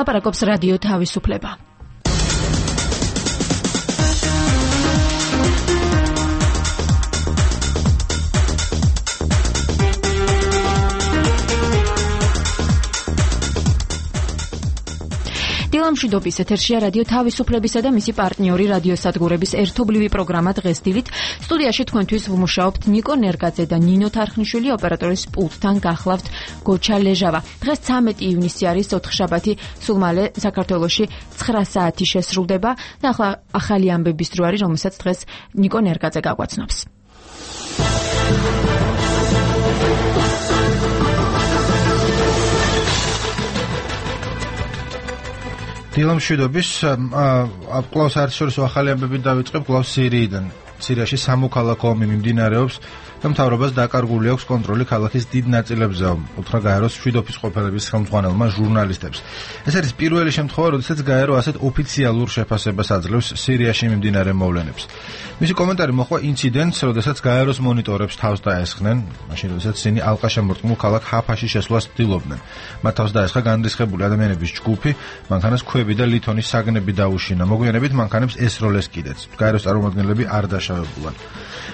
ლაპარაკობს რადიო თავისუფლება. დილამშვიდობის ეთერშია რადიო თავისუფლებისა და მისი პარტნიორი რადიოსადგურების ერთობლივი პროგრამა დღეს დილით. სტუდიაში თქვენთვის ვმუშაობთ ნიკო ნერგაძე და ნინო თარხნიშვილი, ოპერატორის პულტთან გახლავთ გოჩა ლეჟავა. დღეს 13 ივნისი არის, ოთხშაბათი, სულ მალე საქართველოში 9 საათი შესრულდება და ახლა ახალი ამბების დრო არის, რომელსაც დღეს ნიკო ნერგაძე გაგვაცნობს. დილამშვიდობის კლავს არჩევის ახალი ამბები დავიწყებ კლავს სირიიდან. სირიაში სამოქალაქო ომი მიმდინარეობს და მთავრობას დაკარგული აქვს კონტროლი ქალაქის დიდ ნაწილებზე, უთხრა გაეროს მშვიდობის ყოფილების ხელმძღვანელმა ჟურნალისტებს. ეს არის პირველი შემთხვევა, როდესაც გაერო ასეთ ოფიციალურ შეფასებას აძლევს სირიაში მიმდინარე მოვლენებს. მისი კომენტარი მოხდა ინციდენტს, როდესაც გაეროს მონიტორებს თავს დაესხნენ, მაშინ როდესაც ისინი ალყაშემორტყმულ ქალაქ ჰაფაში შესვლას ცდილობდნენ. მათ თავს დაესხა განრისხებული ადამიანების ჯგუფი, მანქანას ქვები და ლითონის საგნები დაუშინა. მოგვიანებით მანქანებს ესროლეს კიდეც. გაეროს წარმომადგენლები არ დაშავებულან.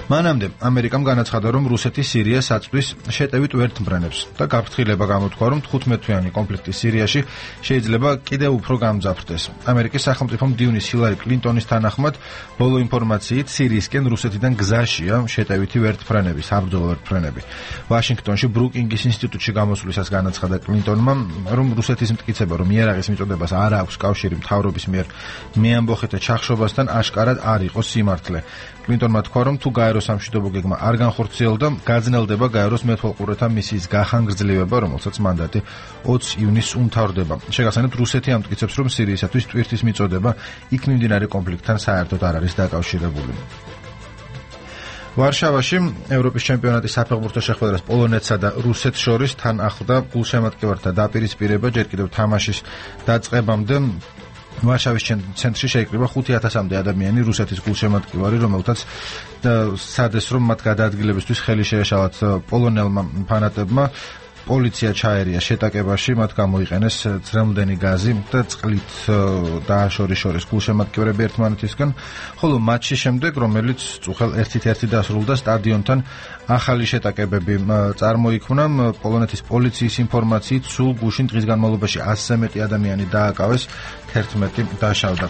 მანამდე ამერიკამ განაცხადა, რომ რუსეთი სირიას აწვდის შეტევით ვერთმფრენებს და გაფრთხილება გამოთქვა, რომ 15-თვიანი კონფლიქტი სირიაში შეიძლება კიდევ უფრო გამძაფრდეს. ამერიკის სახელმწიფო მდივნის ჰილარი კლინტონის თანახმად, ბოლო ინფორმაციით სირიისკენ რუსეთიდან გზაშია შეტევითი ვერთმფრენები, საბრძოლო ვერთმფრენები. ვაშინგტონში ბრუკინგის ინსტიტუტში გამოსვლისას განაცხადა კლინტონმა, რომ რუსეთის მტკიცება, რომ იარაღის მიწოდებას არ აქვს კავშირი მთავრობის მიერ მეამბოხეთა ჩახშობასთან, აშკარად არ იყო სიმართლე. კლინტონმა თქვა, რომ თუ გაეროს სამშვიდობო გეგმა არ განხორციელდა, გაძნელდება გაეროს მეთვალყურეთა მისიის გახანგრძლივება, რომელსაც მანდატი 20 ივნისს უმთავრდება. შეგახსენებთ, რუსეთი ამტკიცებს, რომ სირიისათვის ტვირთის მიწოდება იქ მიმდინარე კონფლიქტთან საერთოდ არ არის დაკავშირებული. ვარშავაში ევროპის ჩემპიონატის საფეხბურთო შეხვედრას პოლონეთსა და რუსეთს შორის თან ახლდა გულშემატკივართა დაპირისპირება, ჯერ კიდევ თამაშის დაწყებამდე ვარშავის ცენტრში შეიკრიბა 5000-მდე ადამიანი რუსეთის გულშემატკივარი, რომელთაც სადეს რომ მათ გადაადგილებისთვის ხელი შეეშალათ პოლონელმა ფანატებმა. პოლიცია ჩაერია შეტაკებაში, მათ გამოიყენეს ძრელმდენი გაზი და წყლით დააშორეს გულშემატკივრები ერთმანეთისგან, ხოლო მატჩის შემდეგ, რომელიც წუხელ 1-1 დასრულდა, სტადიონთან ახალი შეტაკებები წარმოიქმნა. პოლონეთის პოლიციის ინფორმაციით, სულ გუშინ დღის განმავლობაში 100-ზე მეტი ადამიანი დააკავეს, 11 დაშავდა.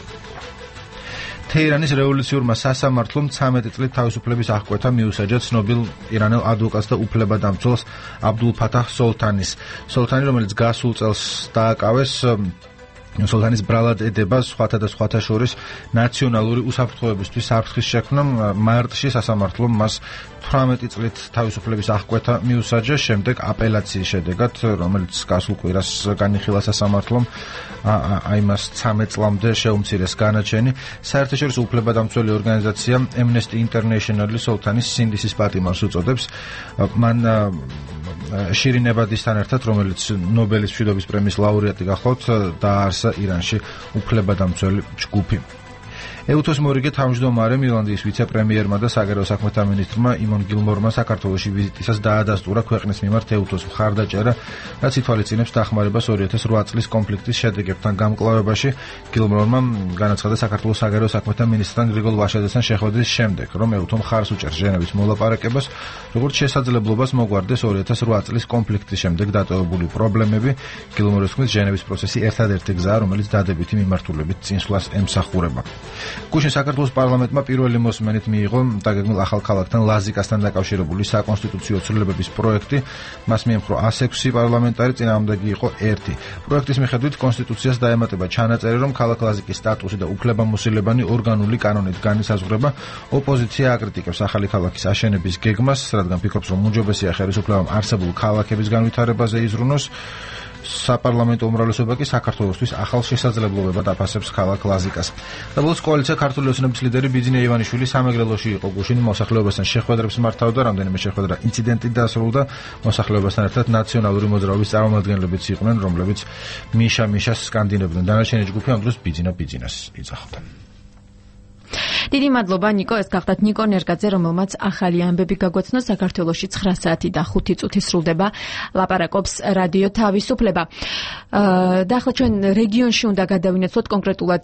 თეირანის რევოლუციურმა სასამართლომ 13 წლით თავისუფლების აღკვეთა მიუსაჯა ცნობილ ირანელ ადვოკატს და უფლებადამცველს აბდულ ფათაჰ სოლთანის. სოლთანი, რომელიც გასულ წელს დააკავეს, სოლთანის ბრალად ედება სხვათა და სხვათა შორის ნაციონალური უსაფრთხოებისთვის საფრთხის შექმნა. მარტში სასამართლომ მას 18 წლით თავისუფლების აღკვეთა მიუსაჯა, შემდეგ აპელაციის შედეგად, რომელიც გასულ კვირას განიხილა სასამართლომ, იმას 13 წლამდე შეუმცირეს განაჩენი. საერთაშორისო უფლებადამცველი ორგანიზაცია Amnesty International სოლთანის სინდისის პატიმარს უწოდებს. მან შირინ ებადისთან ერთად, რომელიც ნობელის მშვიდობის პრემიის ლაურეატი გახლავთ, დააარსა ირანში უფლებადამცველი ჯგუფი. ეუთოს მორიგე თავმჯდომარემ ირლანდიის ვიცე-პრემიერმა და საგარეო საქმეთა მინისტრმა იმონ გილმორმა საქართველოში ვიზიტისას დაადასტურა ქვეყნის მიმართ ეუთოს მხარდაჭერა, რაც ითვალისწინებს დახმარებას 2008 წლის კონფლიქტის შედეგებთან გამკლავებაში. გილმორმა განაცხადა საქართველოს საგარეო საქმეთა მინისტრთან გრიგოლ ვაშაძესთან შეხვედრის შემდეგ, რომ ეუთო მხარს უჭერს ჟენევის მოლაპარაკებას, როგორც შესაძლებლობას მოგვარდეს 2008 წლის კონფლიქტის შემდეგ დატოვებული პრობლემები. გილმორის თქმით, ჟენევის პროცესი ერთადერთი გზაა, რომელიც დადებითი მიმართულებით წინსვლას ემსახურება. გუშინ საქართველოს პარლამენტმა პირველი მოსმენით მიიღო დაგეგმილ ახალ ქალაქთან ლაზიკასთან დაკავშირებული საკონსტიტუციო ცვლილებების პროექტი. მას მიემხრო 106 პარლამენტარი, წინააღმდეგი იყო 1. პროექტის მიხედვით კონსტიტუციას დაემატება ჩანაწერი, რომ ქალაქ ლაზიკის სტატუსი და უფლებამოსილებანი ორგანული კანონით განისაზღვრება. ოპოზიცია აკრიტიკებს ახალი ქალაქის აშენების გეგმას, რადგან ფიქრობს, რომ უმჯობესია ხელისუფლებამ არსებულ ქალაქების განვითარებაზე იზრუნოს. საპარლამენტო უმრავლესობა კი საქართველოსთვის ახალ შესაძლებლობებად აფასებს ქალაქ ლაზიკას. და ბოლოს კოალიცია ქართული ოცნების ლიდერი ბიძინა ივანიშვილი სამეგრელოში იყო გუშინ, მოსახლეობასთან შეხვედრებს მართავდა, რამდენიმე შეხვედრა ინციდენტით დასრულდა. მოსახლეობასთან ერთად ნაციონალური მოძრაობის წარმომადგენლებიც იყვნენ, რომლებიც მიშას სკანდინებდნენ. დანარჩენი ჯგუფი ამ დროს ბიძინას იძახდა. დიდი მადლობა ნიკო, ეს გახდათ ნიკო ნერგაძე, რომელმაც ახალი ამბები გაგვაცნო. საქართველოში 9 საათი და 5 წუთი სრულდება, ლაპარაკობს რადიო თავისუფლება. და ახლა ჩვენ რეგიონში უნდა გადავინაცვლოთ, კონკრეტულად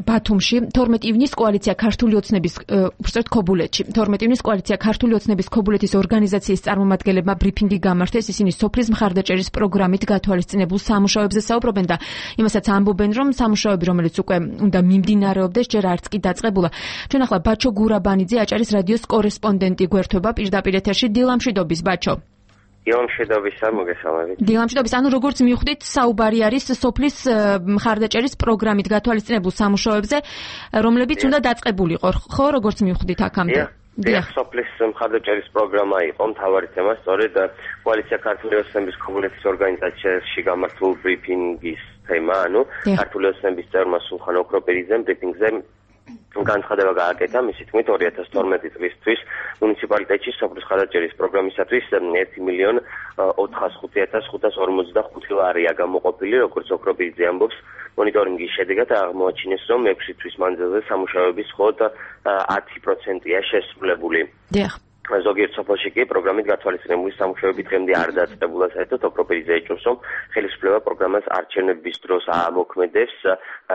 ბათუმში 12 ივნის კოალიცია ქართული ოცნების უბრალოდ ქობულეთში 12 ივნის კოალიცია ქართული ოცნების ქობულეთის ორგანიზაციის წარმომადგენლებმა ბრიფინგი გამართეს. ისინი სოფლის მხარდაჭერის პროგრამით გათვალისწინებულ სამუშაოებზე საუბრობენ და იმასაც ამბობენ, რომ სამუშაოები, რომელიც უკვე უნდა მიმდინარეობდეს, ჯერ არც კი დაწყებულა. ჩვენ ახლა ბაჩო გურაბანიძე, აჭარის რადიოს კორესპონდენტი გვერდება პირდაპირ ეთერში. დილამშვიდობის ბაჩო. დილამშვიდობის, მოგესალმებით. დილამშვიდობის, ანუ როგორც მივხვდით, საუბარი არის სოფლის მხარდაჭერის პროგრამით გათვალისწინებულ სამუშაოებზე, რომლებიც უნდა დაწყებულიყო, ხო, როგორც მივხვდით აქამდე. დიახ, სოფლის მხარდაჭერის პროგრამა იყო მთავარი თემა, სწორედ კოალიცია ქართული ოცნების ქობულეთის ორგანიზაციაში გამართულ ბრიფინგის თემა, ანუ ქართული ოცნების წევრმა სულხან ოქროპირიძემ ბრიფინგზე განცხადება გააკეთა, მისი თქმით 2012 წლისთვის მუნიციპალიტეტში სოფლის მხარდაჭერის პროგრამისათვის 1.405.545 ლარია გამოყოფილი, როგორც ოქროპირიძე ამბობს. მონიტორინგის შედეგად აღმოაჩინეს, რომ 6 თვის მანძილზე სამუშაოების მხოლოდ 10%-ია შესრულებული. დიახ. ზოგიერთ სოფელში კი პროგრამით გათვალისწინებული სამუშაოები დღემდე არ დაწყებულა, საერთოდ ოქროპირიძე ეჭვს, რომ ხელისუფლება პროგრამას არჩევნების დროს ამოქმედებს,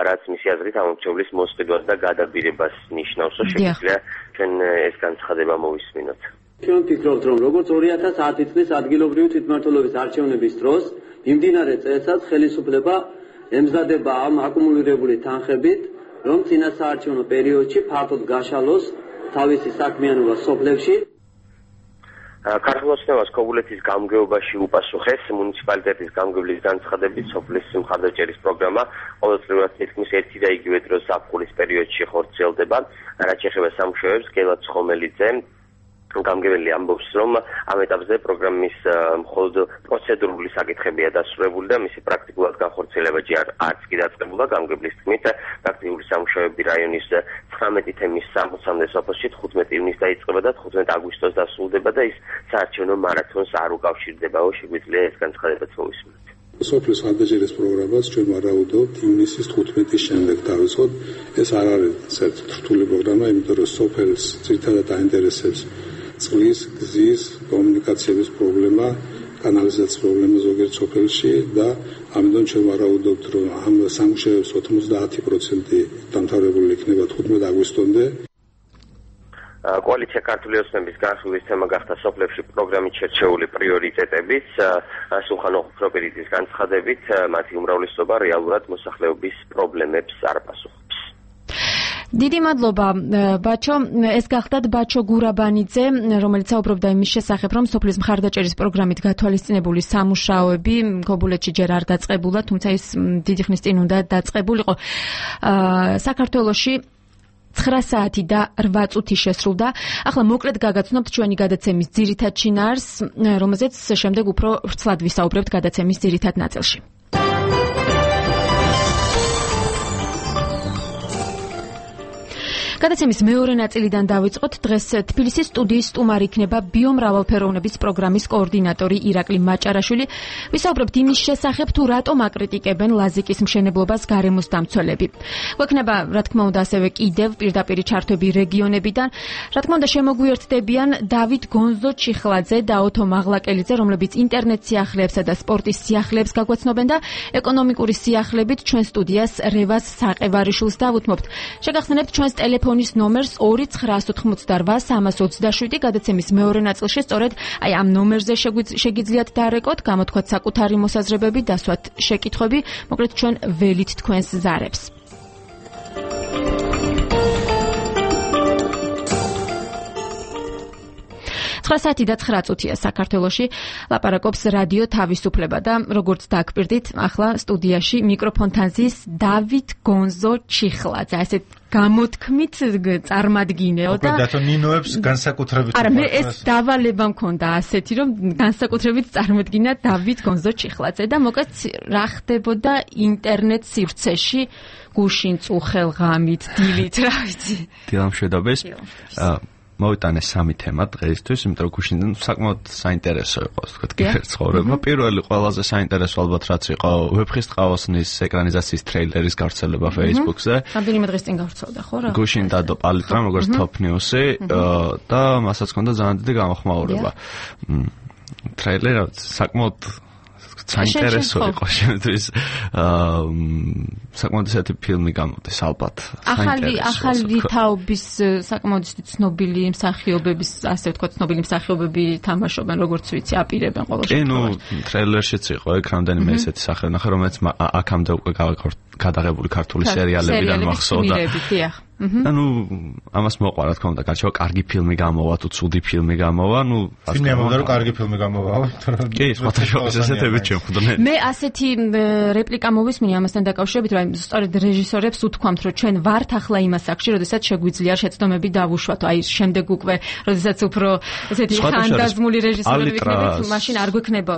რაც მისი აზრით ამორჩევლის მოსყიდვას და გადაბირებას ნიშნავს. შეგვიძლია ჩვენ ეს განცხადება მოვისმინოთ. ჩვენ ვფიქრობთ, რომ როგორც 2010 წლის ადგილობრივი თვითმმართველობის არჩევნების დროს მიმდინარე წესად ხელისუფლება ემზადება ამ აკუმულირებული თანხებით, რომ წინა საარჩევნო პერიოდში ფართოდ გაშალოს თავისი საქმიანობა სოფლებში. ქართულ ოცნებას ქობულეთის გამგეობაში უპასუხეს მუნიციპალიტეტის გამგებლის განცხადებით, სოფლის მხარდაჭერის პროგრამა ყოველწლიურად თითქმის ერთი და იგივე დროს ზაფხულის პერიოდში ხორციელდება. რაც ეხება სამუშაოებს, გელად ცხომელიძე გამგებელი ამბობს, რომ ამ ეტაპზე პროგრამის მხოლოდ პროცედურული საკითხებია დასრულებული და მისი პრაქტიკულად განხორციელება არც კი დაწყებულა. გამგებლის თქმით, პრაქტიკული სამუშაოები რაიონის 19 თემის 60-მდე სოფელში 15 ივნის დაიწყება და 15 აგვისტოს დასრულდება და ის საარჩევნო მარათონს არ უკავშირდება. შეგვიძლია ეს განცხადებაც მოვისმინოთ. სოფლის მხარდაჭერის პროგრამას ჩვენ ვარაუდობთ ივნისის 15-ის შემდეგ დავიწყოთ. ეს არ არის საერთოდ რთული პროგრამა, იმიტომ რომ სოფელს ძირითადად აინტერესებს წყლის, გზის, კომუნიკაციების პრობლემა, კანალიზაციის პრობლემა ზოგიერთ სოფელში და ამიტომ ჩვენ ვარაუდობთ, რომ ამ სამუშაოებს 90% დამთავრებული იქნება 15 აგვისტომდე. კოალიცია ქართული ოცნების განხილვის თემა გახდა სოფლებში პროგრამით შერჩეული პრიორიტეტებიც. სულხან ოქროპირიძის განცხადებით, მათი უმრავლესობა რეალურად მოსახლეობის პრობლემებს არ პასუხობს. დიდი მადლობა ბაჩო, ეს გახდათ ბაჩო გურაბანიძე, რომელიც საუბრობდა იმის შესახებ, რომ სოფლის მხარდაჭერის პროგრამით გათვალისწინებული სამუშაოები ქობულეთში ჯერ არ დაწყებულა, თუმცა ის დიდი ხნის წინ უნდა დაწყებულიყო. საქართველოში 9 საათი და 8 წუთი შესრულდა. ახლა მოკლედ გაგაცნობთ ჩვენი გადაცემის ძირითად შინაარს, რომელზეც შემდეგ უფრო ვრცლად ვისაუბრებთ გადაცემის ძირითად ნაწილში. გადაცემის მეორე ნაწილიდან დავიწყოთ. დღეს თბილისის სტუდიის სტუმარი იქნება ბიომრავალფეროვნების პროგრამის კოორდინატორი ირაკლი მაჭარაშვილი. ვისაუბრებთ იმის შესახებ, თუ რატომ აკრიტიკებენ ლაზიკის მშენებლობას გარემოს დამცველები. გვექნება, რა თქმა უნდა, ასევე კიდევ პირდაპირი ჩართვები რეგიონებიდან. რა თქმა უნდა, შემოგვიერთდებიან დავით გონზო ჩიხლაძე და ოთო მაღლაკელიძე, რომლებიც ინტერნეტ სიახლეებსა და სპორტის სიახლეებს გაგვაცნობენ და ეკონომიკური სიახლებით ჩვენ სტუდიას რევას საყევარიშვილს დავუთმობთ. შეგახსენებთ ჩვენს ტელეფონის ნომერს 2988327. გადაცემის მეორე ნაწილში სწორედ ამ ნომერზე შეგიძლიათ დარეკოთ, გამოთქვათ საკუთარი მოსაზრებები, დასვათ შეკითხვები, მოკლედ ჩვენ ველით თქვენს ზარებს. 9 საათი და 9 წუთია საქართველოში, ლაპარაკობს რადიო თავისუფლება და როგორც დაგვირდით, ახლა სტუდიაში მიკროფონთან ზის დავით გონზო ჩიხლაძე, ესეთ გამოთქმით წარმადგინეო და და ნინოებს განსაკუთრებით არა, მე ეს დავალება მქონდა ასეთი, რომ განსაკუთრებით წარმოგიდგინა დავით გონზო ჩიხლაძე და მოკლედ რა ხდებოდა ინტერნეტ სივრცეში გუშინ წუხელ ღამით, დილით, რა ვიცი. დილამშვიდობის. მოვიტანე სამი თემა დღეისთვის, იმიტომ რომ გუშინიდან საკმაოდ საინტერესო იყო, ასე ვთქვათ, კიბერცხოვრება. პირველი ყველაზე საინტერესო ალბათ რაც იყო ვეფხის ტყავოსნის ეკრანიზაციის ტრეილერის გავრცელება Facebook-ზე. რამდენიმე დღის წინ გავრცელდა, ხო რა? გუშინ დადო პალიტრამ როგორც top news-ი და მასაც ჰქონდა ძალიან დიდი გამოხმაურება. ტრეილერი საკმაოდ საინტერესო იყო შემთხვევით საკმაოდ ესეთი ფილმი გამოდის ალბათ. ახალი თაობის საკმაოდ ცნობილი მსახიობების, ასე ვთქვათ, ცნობილი მსახიობები თამაშობენ, როგორც ვიცი, აპირებენ ყოველ შემთხვევაში. ტრეილერშიც იყო ეგ რამდენიმე ესეთი სახე, ნახე რომელიც აქამდე უკვე გადაღებული ქართული სერიალებიდან მახსოვდა. ანუ ამას მოყვა რა თქმა უნდა, გარჩევა კარგი ფილმი გამოვა, თუ ცუდი ფილმი გამოვა, ფილმი ამბობდა რომ კარგი ფილმი გამოვა. კი, სხვადასხვა ესეთები ჩემხდომენ. მე ასეთი რეპლიკა მოვისმინე ამასთან დაკავშირებით, რომ სწორედ რეჟისორებს უთქვამთ, რომ ჩვენ ვართ ახლა იმ ასაკში, როდესაც შეგვიძლია შეცდომები დავუშვათ, აი შემდეგ უკვე, როდესაც უფრო ესეთი ხანდაზმული რეჟისორები ვიქნებით, მაშინ არ გვექნება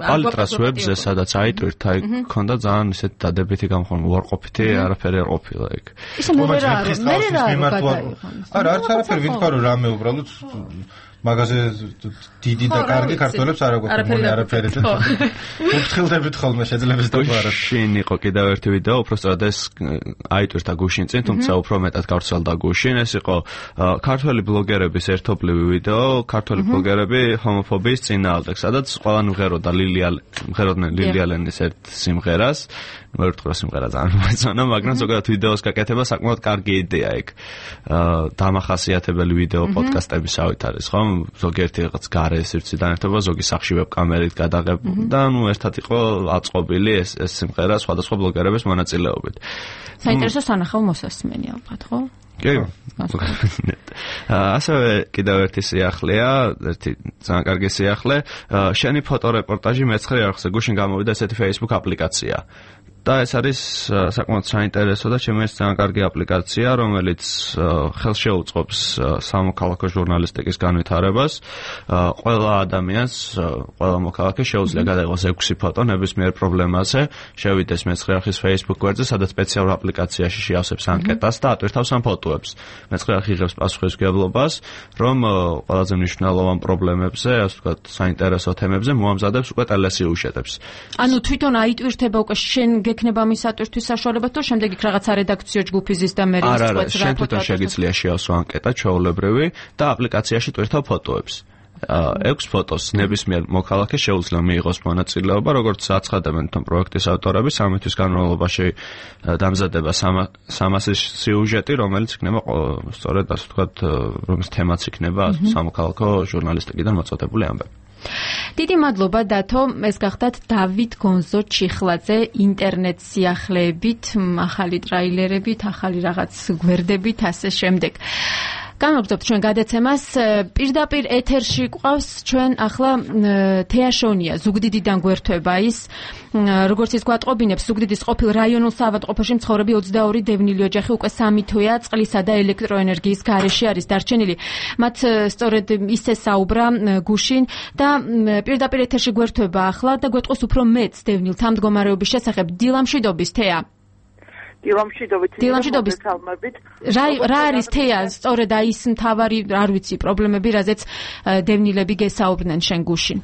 პალიტრას ვებზე, სადაც აიტვირთ, აი ქონდა ძალიან ესეთი დადებითი გამოხმაურება, უარყოფითი, არაფერი არ ყოფილა ეგ. ისე მე არა, არაფერი ვიტყვა რომ რამე უბრალოდ მაგაზე დიდი და კარგი ქართველებს არ აგვაქვს არაფერი და უფრთხილდებით ხოლმე შეძლებს დავაროთ. შინ იყო კიდევ ერთი ვიდეო, უბრალოდ ეს აიტვირთა გუშინ წინ, თუმცა უფრო მეტად გავრცელდა გუშინ. ეს იყო ქართველი ბლოგერების ერთობლივი ვიდეო, ქართველი ბლოგერები ჰომოფობიის წინააღმდეგ, სადაც ყველანი მღეროდა ლილია ლენის ერთ სიმღერას. მე ვთქვა სიმღერა ძალიან მოეწონა, მაგრამ ზოგადად ვიდეოს გაკეთება საკმაოდ კარგი იდეა ეგ. დამახასიათებელი ვიდეო პოდკასტებისავით არის, ხო? ზოგიერთი რაღაც გარე სივრციდან ერთობა, ზოგი სახში ვებკამერით გადაღებული და ერთად იყო აწყობილი ეს სიმღერა სხვადასხვა ბლოგერების მონაწილეობით. საინტერესო სანახავ მოსასმენი ალბათ, ხო? კი. ასევე კიდევ ერთი სიახლეა, ერთი ძალიან კარგი სიახლე, შენი ფოტორეპორტაჟი მე-9 არხზე გუშინ გამოვიდა ესეთი Facebook აპლიკაცია. და ეს არის საკმაოდ საინტერესო და ჩემთვის ძალიან კარგი აპლიკაცია, რომელიც ხელს შეუწყობს სამოქალაქო ჟურნალისტიკის განვითარებას. ყველა ადამიანს, ყველა მოქალაქეს შეუძლია გადაიღოს 6 ფოტო ნებისმიერ პრობლემაზე, შევიდეს მე-9 არხის Facebook გვერდზე, სადაც სპეციალურ აპლიკაციაში შეავსებს ანკეტას და ატვირთავს ამ ფოტოებს. მე-9 არხი იღებს პასუხისმგებლობას, რომ ყველაზე მნიშვნელოვან პრობლემებზე, ასე ვთქვათ, საინტერესო თემებზე მოამზადებს უკვე ტელესიუჟეტებს. ანუ თვითონ აიტვირთება უკვე შენ გექნება მის ატვირთვის საშუალება, თუ შემდეგ იქ რაღაცა რედაქციო ჯგუფი ზის და მე ის წვეთს რა ფოტო შეგიძლია შეავსო ანკეტა ჩვეულებრივი და აპლიკაციაში ტვირთავ ფოტოებს. 6 ფოტოს ნებისმიერ მოქალაქეს შეუძლია მიიღოს მონაწილეობა, როგორც აცხადებენ თვითონ პროექტის ავტორები, 3 თვის განმავლობაში დამზადება 300 სიუჟეტი, რომელიც იქნება სწორედ ასე ვთქვათ, რომლის თემაც იქნება სამოქალაქო ჟურნალისტიკიდან მოწოდებული ამბები. დიდი მადლობა დათო, ეს გახდათ დავით გონზო ჩიხლაძე ინტერნეტ სიახლეებით, ახალი ტრეილერებით, ახალი რაღაც გვერდებით, ასე შემდეგ. განვაგრძობთ ჩვენ გადაცემას. პირდაპირ ეთერში გვყავს ჩვენ ახლა თეაშონია, ზუგდიდიდან გვერდება ის. როგორც ის გვატყობინებს, ზუგდიდის ყოფილ რაიონულ საავადმყოფოში მცხოვრები 22 დევნილი ოჯახი უკვე 3 თვეა წყლისა და ელექტროენერგიის გარეშე არის დარჩენილი. მათ სწორედ ისე საუბრა გუშინ და პირდაპირ ეთერში გვერდება ახლა და გვეტყვის უფრო მეც დევნილთა მდგომარეობის შესახებ. დილამშვიდობის თეა. დილამშვიდობის თალმებით. რა არის თეა სწორედ აი ის მთავარი, არ ვიცი, პრობლემები, რაზეც დევნილები გესაუბრნენ შენ გუშინ?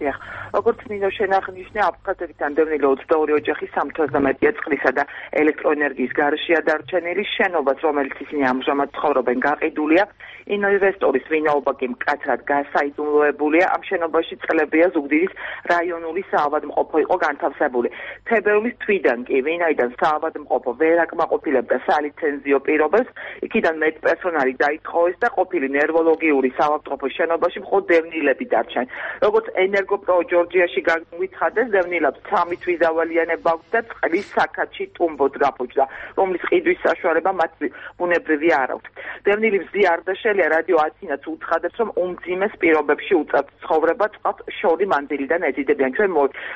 დიახ. როგორც მინდა შენახნიშნე, აფხაზეთიდან დევნილი 22 ოჯახი 3 თვეზე მეტია წყლისა და ელექტროენერგიის გარეშეა დარჩენილი. შენობას, რომელიც ისინი ამჟამად ცხოვრობენ, გაყიდულია. ინვესტორის ვინაობა კი მკაცრად გასაიდუმლოებულია. ამ შენობაში წლებია ზუგდიდის რაიონული საავადმყოფო იყო განთავსებული. თებერვლის თვიდან კი, ვინაიდან საავადმყოფო ვერ აკმაყოფილებდა სალიცენზიო პირობებს, იქიდან მეტ პერსონალი დაითხოვეს და ყოფილი ნერვოლოგიური საავადმყოფოს შენობაში მხოლოდ დევნილები დარჩნენ. როგორც ენერგოპრო ჯორჯიაში განვითარდეს, დევნილებს 3 თვის დავალიანება აქვს და წყლის საკათში ტუმბოდ გაფუჭდა, რომლის ყიდვის საშუალება მათ ბუნებრივი არ აქვს. დევნილი მზიარდაშელი რადიო ათინაც უცხადებს, რომ უმძიმეს პირობებში უწევთ ცხოვრება წყალს შორი მანდილიდან ეზიდებიან. ჩვენ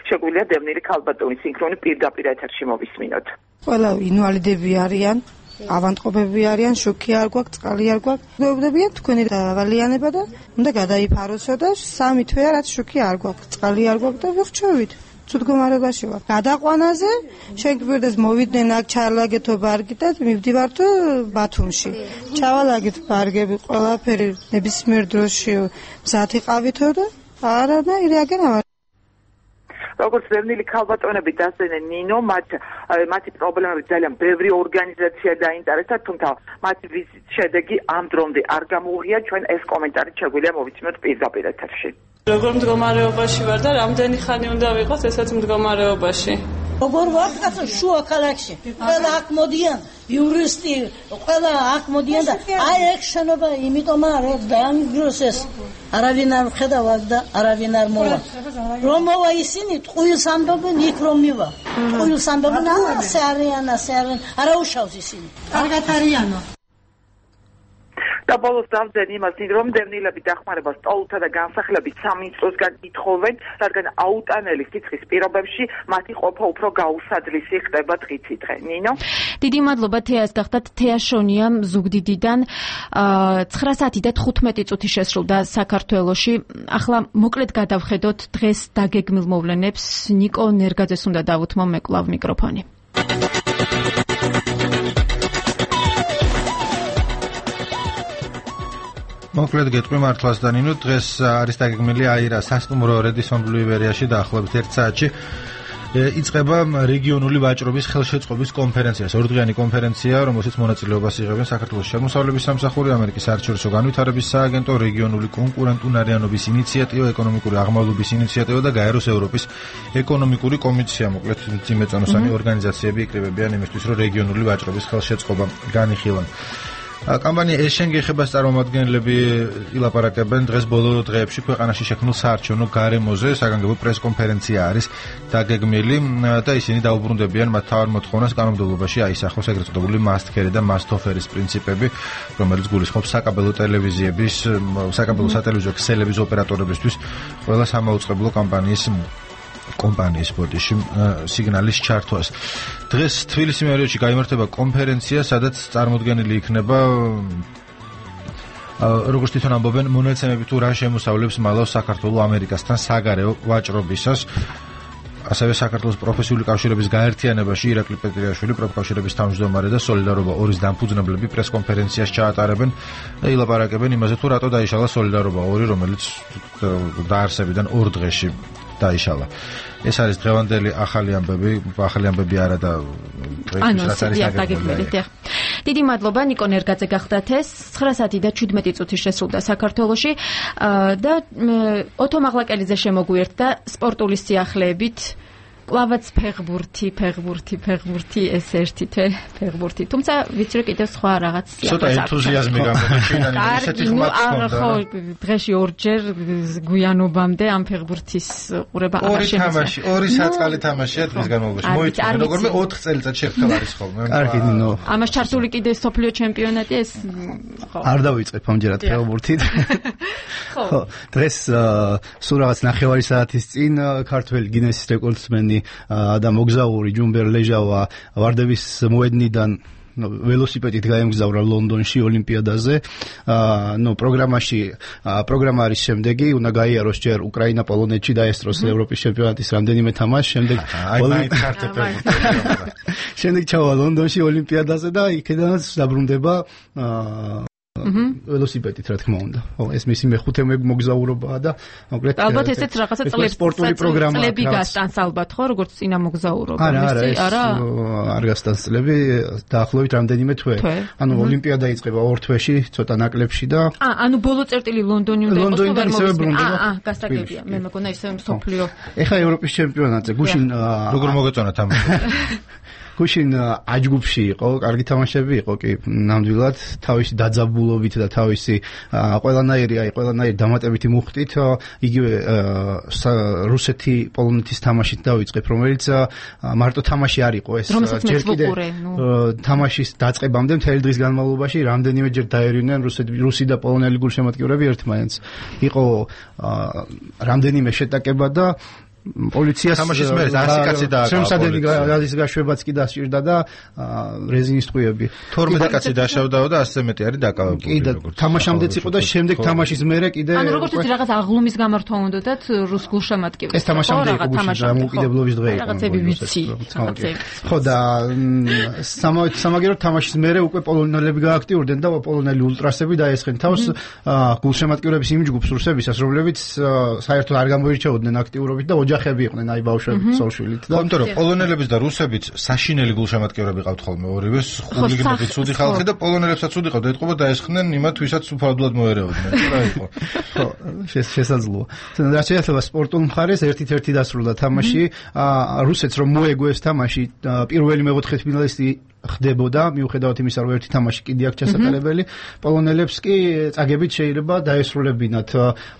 შეგვიძლია დევნილი ქალბატონის სინქრონი პირდაპირ ეთერში მოვისმინოთ. ყველა ინვალიდები არიან, ავადმყოფები არიან, შოქი არ გვაქვს, წყალი არ გვაქვს. გვეუბნებიან თქვენი დავალიანება და უნდა გადაიფაროსო და 3 თვეა რაც შოქი არ გვაქვს, წყალი არ გვაქვს და ვიხრჩევით. ცუდ მდგომარეობაში ვარ. გადაყვანაზე შენ გვერდას მოვიდნენ აქ ჩალაგეთო ბარგით მივდივართ ბათუმში. ჩავალაგეთ ბარგები ყველაფერი ნებისმიერ დროში მზად იყავითო და არანაირი აგერავა. როგორც დევნილი ქალბატონები დასწრნენ ნინო, მათი პრობლემები ძალიან ბევრი ორგანიზაცია დაინტერესდა, თუმცა მათი ვიზიტის შედეგი ამ დრომდე არ გამოუღია. ჩვენ ეს კომენტარი შეგვიძლია მოვიცნოთ პირდაპირ ეთერში. როგორ მდგომარეობაში ვარ და რამდენი ხანი უნდა ვიყოს ესეც მდგომარეობაში? როგორ ვარ კაცო შუა ქალაქში. ყველა აქ მოდიან იურისტი, ყველა აქ მოდიან და აი ეგ შენობა იმიტომ არ დაანგრიოს ეს. არავინ არ ხედავ და არავინ არ მოვა. რომ მოვა ისინი ტყუილს ამბობენ იქ რომ მივა. ტყუილს ამბობენ ასე არიან. არა უშავს ისინი. კარგად არიანო. და ბოლოს დავძენ იმას, რომ დევნილები დახმარებას სტოლთა და განსახლების სამინისტროსგან ითხოვენ, რადგან აუტანელი სიცხის პირობებში მათი ყოფა უფრო გაუსაძლისი ხდება დღითი დღე. ნინო? დიდი მადლობა თეას გახდათ. თეა შონია ზუგდიდიდან 9 საათი და 15 წუთი შესრულდა საქართველოში. ახლა მოკლედ გადავხედოთ დღეს დაგეგმილ მოვლენებს. ნიკო ნერგაძეს უნდა დავუთმო მეკლავ მიკროფონი. მოკლედ გეტყვი მართლაც და ნინო, დღეს არის დაგეგმილი აირა სასტუმრო რედისონ ბლუივერიაში დაახლოებით 1 საათში იწყება რეგიონული ვაჭრობის ხელშეწყობის კონფერენცია. ორდღიანი კონფერენცია, რომელშიც მონაწილეობას იღებენ საქართველოს შემოსავლების სამსახური, ამერიკის საერთაშორისო განვითარების სააგენტო, რეგიონული კონკურენტუნარიანობის ინიციატივა, ეკონომიკური აღმავლობის ინიციატივა და გაეროს ევროპის ეკონომიკური კომისია. მოკლედ ძიმეწონოსანი ორგანიზაციები იკრიბებიან იმისთვის, რომ რეგიონული ვაჭრობის ხელშეწყობა განიხილონ. კამპანია ეშენ გეხებას წარმომადგენლები ილაპარაკებენ დღეს ბოლო დღეებში ქვეყანაში შექმნილ საარჩევნო გარემოზე. საგანგებო პრესკონფერენცია არის დაგეგმილი და ისინი დაუბრუნდებიან მათ თავარ მოთხოვნას კანონმდებლობაში აისახოს ეგრეთ წოდებული მასტქერი და მასტოფერის პრინციპები, რომელიც გულისხმობს საკაბელო ტელევიზიების, საკაბელო სატელევიზიო ქსელების ოპერატორებისთვის ყველა სამაუწყებლო კომპანიის ბოდიში სიგნალის ჩართვას. დღეს თბილისის მერიოში გაიმართება კონფერენცია, სადაც წარმოდგენილი იქნება როგორც თვითონ ამბობენ მონაცემები თუ რა შემოსავლებს მალავს საქართველოს ამერიკასთან საგარეო ვაჭრობისას. ასევე საქართველოს პროფესიული კავშირების გაერთიანებაში ირაკლი პეტრიაშვილი, პროფკავშირების თავმჯდომარე და სოლიდარობა ორის დამფუძნებლები პრესკონფერენციას ჩაატარებენ და ილაპარაკებენ იმაზე თუ რატო დაიშალა სოლიდარობა 2, რომელიც დაარსებიდან 2 დღეში დაიშალა. ეს არის დღევანდელი ახალი ამბები არა და დღესაც არის დაგეგმილი. დიდი მადლობა ნიკო ნერგაძე გახდათ ეს 9 საათი და 17 წუთი შესრულდა საქართველოში და ოთო მაღლაკელიძე შემოგვიერთდა სპორტული სიახლეებით. კლავაც ფეხბურთი ეს ერთი ფეხბურთი. თუმცა ვიცი რომ კიდევ სხვა რაღაც ცოტა ენთუზიაზმი გამოჩინანი ისეთი ხმაც ხონდა. ხო, დღეში 2 ჯერ გვიანობამდე ამ ფეხბურთის ყურება აღარ შემიძლია. 2 საწყალი თამაშია დღის განმავლობაში. მოიწვია როგორმე 4 წელიწად შეხვდა არის ხოლმე. კარგი ნინო. ამას ჩართული კიდე სოფლიო ჩემპიონატი ეს ხო. არ დავიწყებ ამჯერად ფეხბურთით. ხო, დღეს სულ რაღაც 9 საათის წინ ქართველი გინესის რეკორდსმენი და მოგზაური ჯუმბერ ლეჟავა ვარდების მოედნიდან ველოსიპედით გაემგზავრა ლონდონში ოლიმპიადაზე. პროგრამა არის შემდეგი, უნდა გაიაროს ჯერ უკრაინა პოლონეთში დაესწროს ევროპის ჩემპიონატის რამდენიმე თამაში, შემდეგ ჩავა ლონდონში ოლიმპიადაზე და იქედანაც დაბრუნდება ველოსიპედით რა თქმა უნდა. ხო, ეს მისი მეხუთე მოგზაურობაა და მოკლედ ალბათ ესეც რაღაცა სპორტული პროგრამა წლები გასტანს ალბათ ხო, როგორც წინა მოგზაურობა. არა, არ გასტანს წლები, დაახლოებით რამდენიმე თვე. ანუ ოლიმპიადა იწყება 2 თვეში, ცოტა ნაკლებში და ანუ ბოლო წერტილი ლონდონი უნდა იყოს და ისევე ბრუნდება. გასაგებია, მე მეგონა ისევე მსოფლიო. ეხა ევროპის ჩემპიონატზე გუშინ როგორ მოგეწონა თამაში? გუშინ აჯგუფში იყო, კარგი თამაშები იყო კი, ნამდვილად თავისი დაძაბულობით და თავისი ყველანაირი დამატებითი მუხტით იგივე რუსეთი პოლონეთის თამაშით დავიწყებ, რომელიც მარტო თამაში არ იყო ეს ჯერ კიდე თამაშის დაწყებამდე მთელი დღის განმავლობაში რამდენიმე ჯერ დაერივნენ რუსი და პოლონელი გულშემატკივრები ერთმანეთს. იყო რამდენიმე შეტაკება და პოლიციას თამაშის მერე 100 კაცი დააკავა. შემსადენი გაზის გაშვებაც კი დასჭირდა და რეზინის ტყუები. 12 კაცი დაშავდაო და 100-ზე მეტი არის დაკავებული. კი და თამაშამდეც იყო და შემდეგ თამაშის მერე კიდე ანუ როგორც ვთქვი რაღაც აღლუმის გამართვა უნდათ რუს გულშემატკივრებს. ეს თამაშამდე იყო გუშინ დამოუკიდებლობის დღე იყო. რაღაცები ვიცი. ხო და სამაგერო თამაშის მერე უკვე პოლონელები გააქტიურდნენ და პოლონელი ულტრასები დაესხნენ თავს გულშემატკივრების იმ ჯგუფს რუსებისას, რომლებიც საერთოდ არ გამოირჩეოდნენ აქტიურობით და ოჯახები იყვნენ აი ბავშვები ცოლშვილით და იმიტომ რომ პოლონელებიც და რუსებიც საშინელი გულშემატკივრები ყავთ ხოლმე ორივეს ხულიგნები ცუდი ხალხი და პოლონელებსაც ცუდი ყავდა ეთყობა დაესხნენ იმათ ვისაც უფალებლად მოერეოდნენ რა იყო ხო შესაძლოა რაც შეეხება სპორტულ მხარეს ერთ-ერთი დასრულდა თამაში რუსეთს რომ მოეგო ეს თამაში პირველი მეოთხე ფინალისტი ხდებოდა მიუხედავად იმისა რომ ერთი თამაში კიდე აქ ჩასატარებელი პოლონელებს კი წაგებით შეიძლება დაესრულებინათ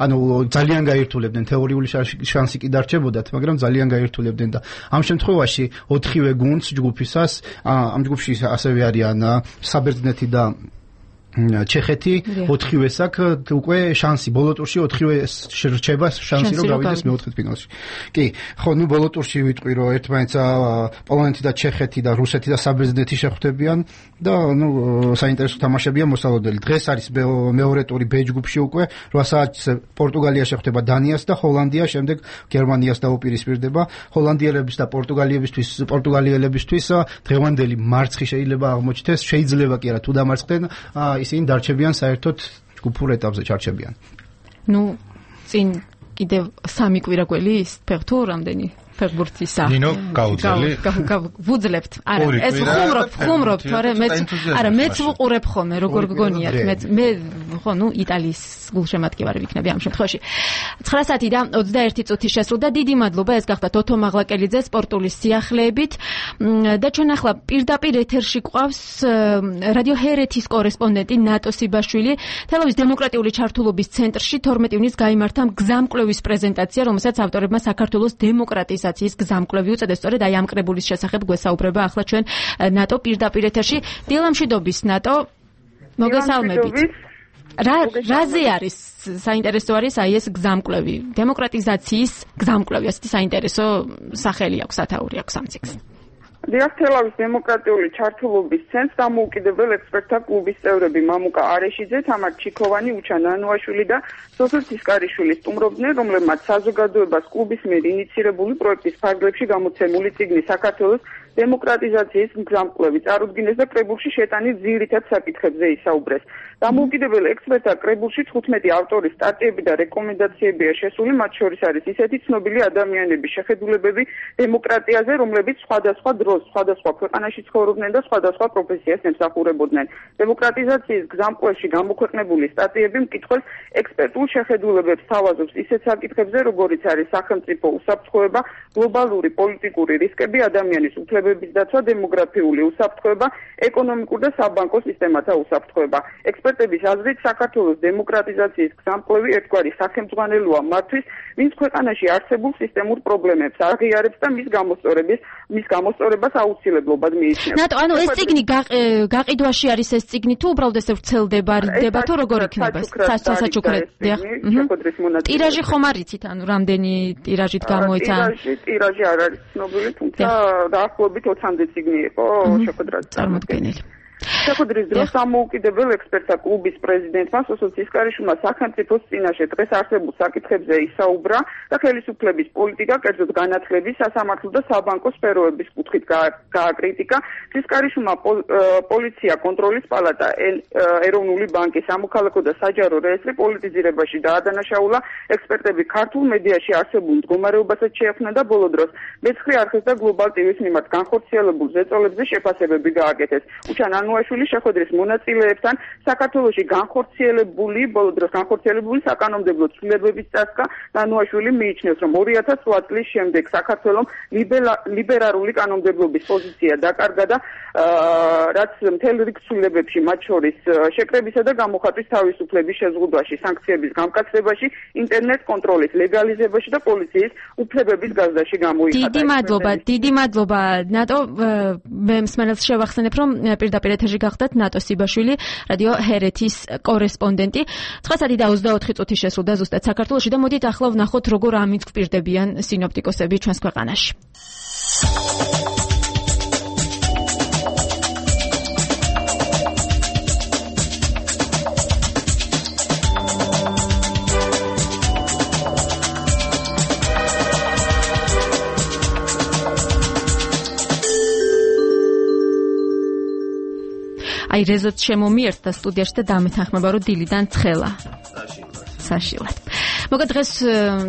ანუ ძალიან გაირთულებდნენ თეორიული შანსი კი დარჩებოდათ მაგრამ ძალიან გაირთულებდნენ და ამ შემთხვევაში 4-ვე გუნდს ჯგუფისას ამ ჯგუფში ასევე არიან საბერძნეთი და ჩეხეთი 4-ვეს აქვს უკვე შანსი ბოლო ტურში 4-ვე რჩება შანსი რომ გავიდეს მეოთხედფინალში. კი, ხო, ნუ ბოლო ტურში ვიტყვი რომ ერთმანეთს პოლონეთი და ჩეხეთი და რუსეთი და საბერძნეთი შეხვდებიან და ნუ საინტერესო თამაშებია მოსალოდნელი. დღეს არის მეორე ტური B ჯგუფში უკვე 8 საათზე პორტუგალია შეხვდება დანიას და ჰოლანდია, შემდეგ გერმანიას დაუპირისპირდება. ჰოლანდიელებისთვის და პორტუგალიელებისთვის დღევანდელი მარცხი შეიძლება აღმოჩნდეს, შეიძლება კი არა თუ დამარცხდნენ ისინი დარჩებიან საერთოდ ჯგუფურ ეტაპზე ჩარჩებიან. ნუ წინ კიდევ 3 კვირაგველი ფეხთო რამდენი ფეხბურთისა. ნინო გაუძელი. ვუძლებთ. არა, ეს ხუმრობ, თორე მეც ვუყურებ ხოლმე, როგორ გგონიათ, მე ხო, ნუ იტალიის გულშემატკივარი ვიქნები ამ შემთხვევაში. 9 საათი და 21 წუთი შესრულდა. დიდი მადლობა, ეს გახდა თოთო მაღლაკელიძე სპორტული სიახლეებით. და ჩვენ ახლა პირდაპირ ეთერში გვყავს რადიო ჰერეთის კორესპონდენტი ნატო სიბაშვილი. თელავის დემოკრატიული ჩართულობის ცენტრში 12 ივნისს გაიმართა გზამკვლევის პრეზენტაცია, რომელსაც ავტორებმა საქართველოს დემოკრატიზაციის გზამკვლევი უწოდეს. სწორედ აი ამ კრებულის შესახებ გვესაუბრება ახლა ჩვენ ნატო პირდაპირ ეთერში. დილამშვიდობის ნატო. მოგესალმებით. რაზე არის საინტერესო არის აი ეს გზამკვლევი, დემოკრატიზაციის გზამკვლევი, ასეთი საინტერესო სახელი აქვს, სათაური აქვს ამ ციკლს. თელავის დემოკრატიული ჩართულობის ცენტრს დამოუკიდებელ ექსპერტთა კლუბის წევრები მამუკა არეშიძე, თამარ ჩიქოვანი, უჩან ანუაშვილი და სოფელ ცისკარიშვილი სტუმრობდნენ, რომლებმაც საზოგადოებას კლუბის მიერ ინიცირებული პროექტის ფარგლებში გამოცემული წიგნი საქართველოს დემოკრატიზაციის გზამკვლევი წარუდგინეს და კრებულში შეტანილ ძირითად საკითხებზე ისაუბრეს. დამოუკიდებელ ექსპერტთა კრებულში 15 ავტორის სტატიები და რეკომენდაციებია შესული, მათ შორის არის ისეთი ცნობილი ადამიანების შეხედულებები დემოკრატიაზე, რომლებიც სხვადასხვა დროს სხვადასხვა ქვეყანაში ცხოვრობდნენ და სხვადასხვა პროფესიას ემსახურებოდნენ. დემოკრატიზაციის გზამკვლევში გამოქვეყნებული სტატიები მკითხველს ექსპერტულ შეხედულებებს თავაზობს ისეთ საკითხებზე, როგორიც არის სახელმწიფო უსაფრთხოება, გლობალური პოლიტიკური რისკები, ადამიანის უფლებების დაცვა, დემოგრაფიული უსაფრთხოება, ეკონომიკურ და საბანკო სისტემათა უსაფრთხოება. ექსპერტების აზრით, საქართველოს დემოკრატიზაციის გზამკვლევი ერთგვარი სახელმძღვანელოა მათთვის, ვინც ქვეყანაში არსებულ სისტემურ პრობლემებს აღიარებს და მის გამოსწორებას აუცილებლობად მიიჩნევს. ნატო, ანუ ეს წიგნი გაყიდვაში არის ეს წიგნი თუ უბრალოდ ესე ვრცელდება, რდება თუ როგორ იქნება? საჩუქრად. ტირაჟი ხომ არ იცით, ანუ რამდენი ტირაჟით გამოიცა? ტირაჟი არ არის ცნობილი, თუმცა დაახლოებით 20-მდე წიგნი იყო შეხვედრაზე წარმოდგენილი. შეხვედრის დროს დამოუკიდებელ ექსპერტთა კლუბის პრეზიდენტმა სოსო ცისკარიშვილმა სახელმწიფოს წინაშე დღეს არსებულ საკითხებზე ისაუბრა და ხელისუფლების პოლიტიკა, კერძოდ განათლების, სასამართლო და საბანკო სფეროების კუთხით გააკრიტიკა. ცისკარიშვილმა პოლიცია, კონტროლის პალატა, ეროვნული ბანკი, სამოქალაქო და საჯარო რეესტრი პოლიტიზირებაში დაადანაშაულა. ექსპერტები ქართულ მედიაში არსებულ მდგომარეობასაც შეეხმნა და ბოლო დროს მეცხრე არხის და გლობალ ტივის მიმართ განხორციელებულ ზეწოლებზე შეფასებები გააკეთეს. უჩან ანუაშვილი შეხვედრის მონაწილეებთან საქართველოში ბოლო დროს განხორციელებული საკანონმდებლო ცვლილებების წასვლა ანუაშვილი მიიჩნევს, რომ 2008 წლის შემდეგ საქართველოს ლიბერალური კანონმდებლობის პოზიცია დაკარგა და რაც მთელ რიგ ცვლილებებში, მათ შორის შეკრებისა და გამოხატვის თავისუფლების შეზღუდვაში, სანქციების გამკაცებაში, ინტერნეტ კონტროლის ლეგალიზებაში და პოლიციის უფლებების გაზრდაში გამოიხატა. დიდი მადლობა, ნატო. მე მსმენელს შევახსენებ, რომ პირდაპირ ეთერში გახდათ ნატო სიბაშვილი, რადიო ჰერეთის კორესპონდენტი. 9:24 შესრულდა ზუსტად საქართველოში და მოდით ახლა ვნახოთ როგორ ამიწყპირდებიან სინოპტიკოსები ჩვენს ქვეყანაში. აი რეზოც შემომიერთდა სტუდიაში და დამეთანხმება რომ დილიდან ცხელა. საშილად. მოგეთ დღეს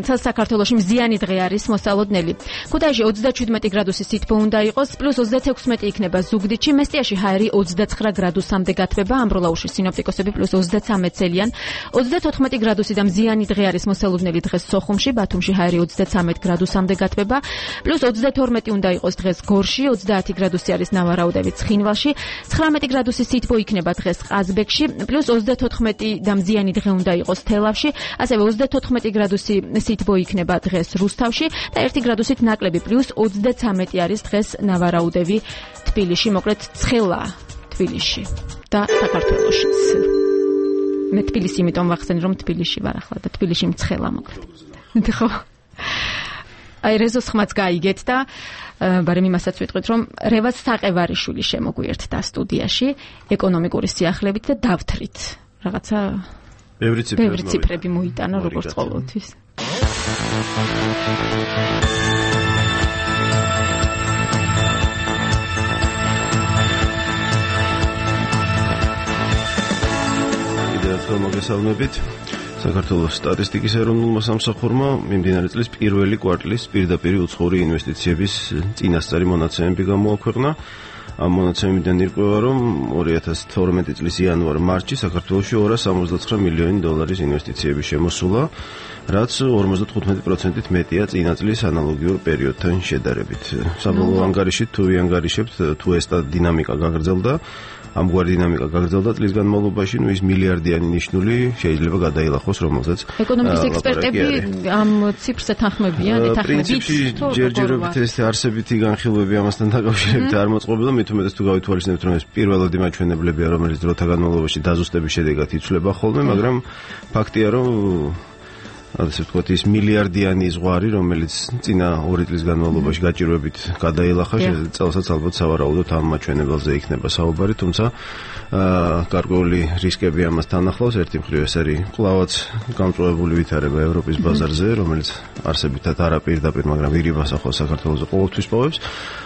საქართველოში მზიანი დღე არის მოსალოდნელი. ქუთაისში 37 გრადუსი სითბო უნდა იყოს, პლუს 36 იქნება ზუგდიდში, მესტიაში ჰაერი 29 გრადუსამდე გათბება, ამბროლაურში სინოპტიკოსები პლუს 33 ცელიან, 34 გრადუსი და მზიანი დღე არის მოსალოდნელი დღეს სოხუმში, ბათუმში ჰაერი 33 გრადუსამდე გათბება, პლუს 32 უნდა იყოს დღეს გორში, 30 გრადუსი არის ნავარაუდევი ცხინვალში, 19 გრადუსი სითბო იქნება დღეს ყაზბეგში, პლუს 34 და მზიანი დღე უნდა იყოს თელავში, ასევე 34 გრადუსი სითბო იქნება დღეს რუსთავში და 1 გრადუსით ნაკლები პლუს 33 არის დღეს ნავარაუდევი თბილისში, მოკლედ ცხელა თბილისში და საქართველოშიც. მე თბილისი იმიტომ ვახსენე რომ თბილისში ვარ ახლა და თბილისში მცხელა მოკლედ. ხო. აი რეზოს ხმაც გაიგეთ და ბარემ იმასაც ვიტყვით რომ რევაზ საყევარიშვილი შემოგვიერთდა სტუდიაში ეკონომიკური სიახლებით და დავთრით რაღაცა ბევრი ციფრები მოიტანა როგორც ყოველთვის. იდეალურად მოგესალმებით. საქართველოს სტატისტიკის ეროვნულმა სამსახურმა მიმდინარე წლის პირველი კვარტლის პირდაპირ უცხოური ინვესტიციების წინასწარი მონაცემები გამოაქვეყნა. ამ მონაცემებიდან ირკვევა, რომ 2012 წლის იანვარ-მარტში საქართველოში 269 მილიონი დოლარის ინვესტიციები შემოსულა, რაც 55%-ით მეტია წინა წლის ანალოგიურ პერიოდთან შედარებით. საბოლოო ანგარიშით თუ ვიანგარიშებთ, თუ ეს დინამიკა გაგრძელდა, ამგვარი დინამიკა გაგრძელდა წლის განმავლობაში, ის მილიარდიანი ნიშნული შეიძლება გადაილახოს, რომელზეც ეკონომიკის ექსპერტები ამ ციფრს ეთანხმებიან, პრინციპში ჯერჯერობით ეს არსებითი განხილვები ამასთან დაკავშირებით არ მოწყობილ და მით უმეტეს თუ გავითვალისწინებთ, რომ ეს პირველადი მაჩვენებლებია, რომელიც დროთა განმავლობაში დაზუსტების შედეგად იცვლება ხოლმე, მაგრამ ფაქტია, რომ ასე ვთქვათ, ის მილიარდიანი ზღვარი, რომელიც წინა 2 წლის განმავლობაში გაჭირვებით გადაილახა, წელსაც ალბათ სავარაუდოდ ამ მაჩვენებელზე იქნება საუბარი, თუმცა გარკვეული რისკები ამასთან ახლავს. ერთი მხრივ ეს არის კვლავაც გამწვავებული ვითარება ევროპის ბაზარზე, რომელიც არსებითად არა პირდაპირ, მაგრამ ვირიბას ახლავს საქართველოს ყოველთვის პოვებს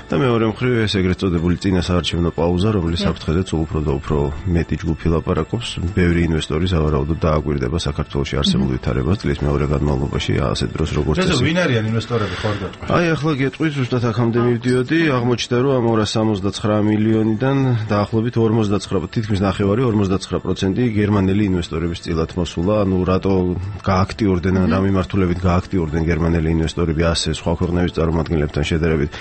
და მეორე მხრივ ეს ეგრეთ წოდებული წინასაარჩევნო პაუზა, რომელიც საფრთხეზე სულ უფრო და უფრო მეტი ჯგუფი ლაპარაკობს. ბევრი ინვესტორი სავარაუდოდ დააკვირდება საქართველოში არსებულ ვითარებას წლის მეორე განმავლობაში, ასეთ დროს როგორც ეს. ვინ არიან ინვესტორები ხარ გეტყვი? აი ახლა გეტყვი, ზუსტად აქამდე მივდიოდი, აღმოჩნდა რომ ამ 269 მილიონიდან დაახლოებით 49 თითქმის ნახევარი 49% გერმანელი ინვესტორების წილად მოსულა. ანუ რატო გააქტიურდნენ, რა მიმართულებით გააქტიურდნენ გერმანელი ინვესტორები ასე სხვა ქვეყნების წარმომადგენლებთან შედარებით,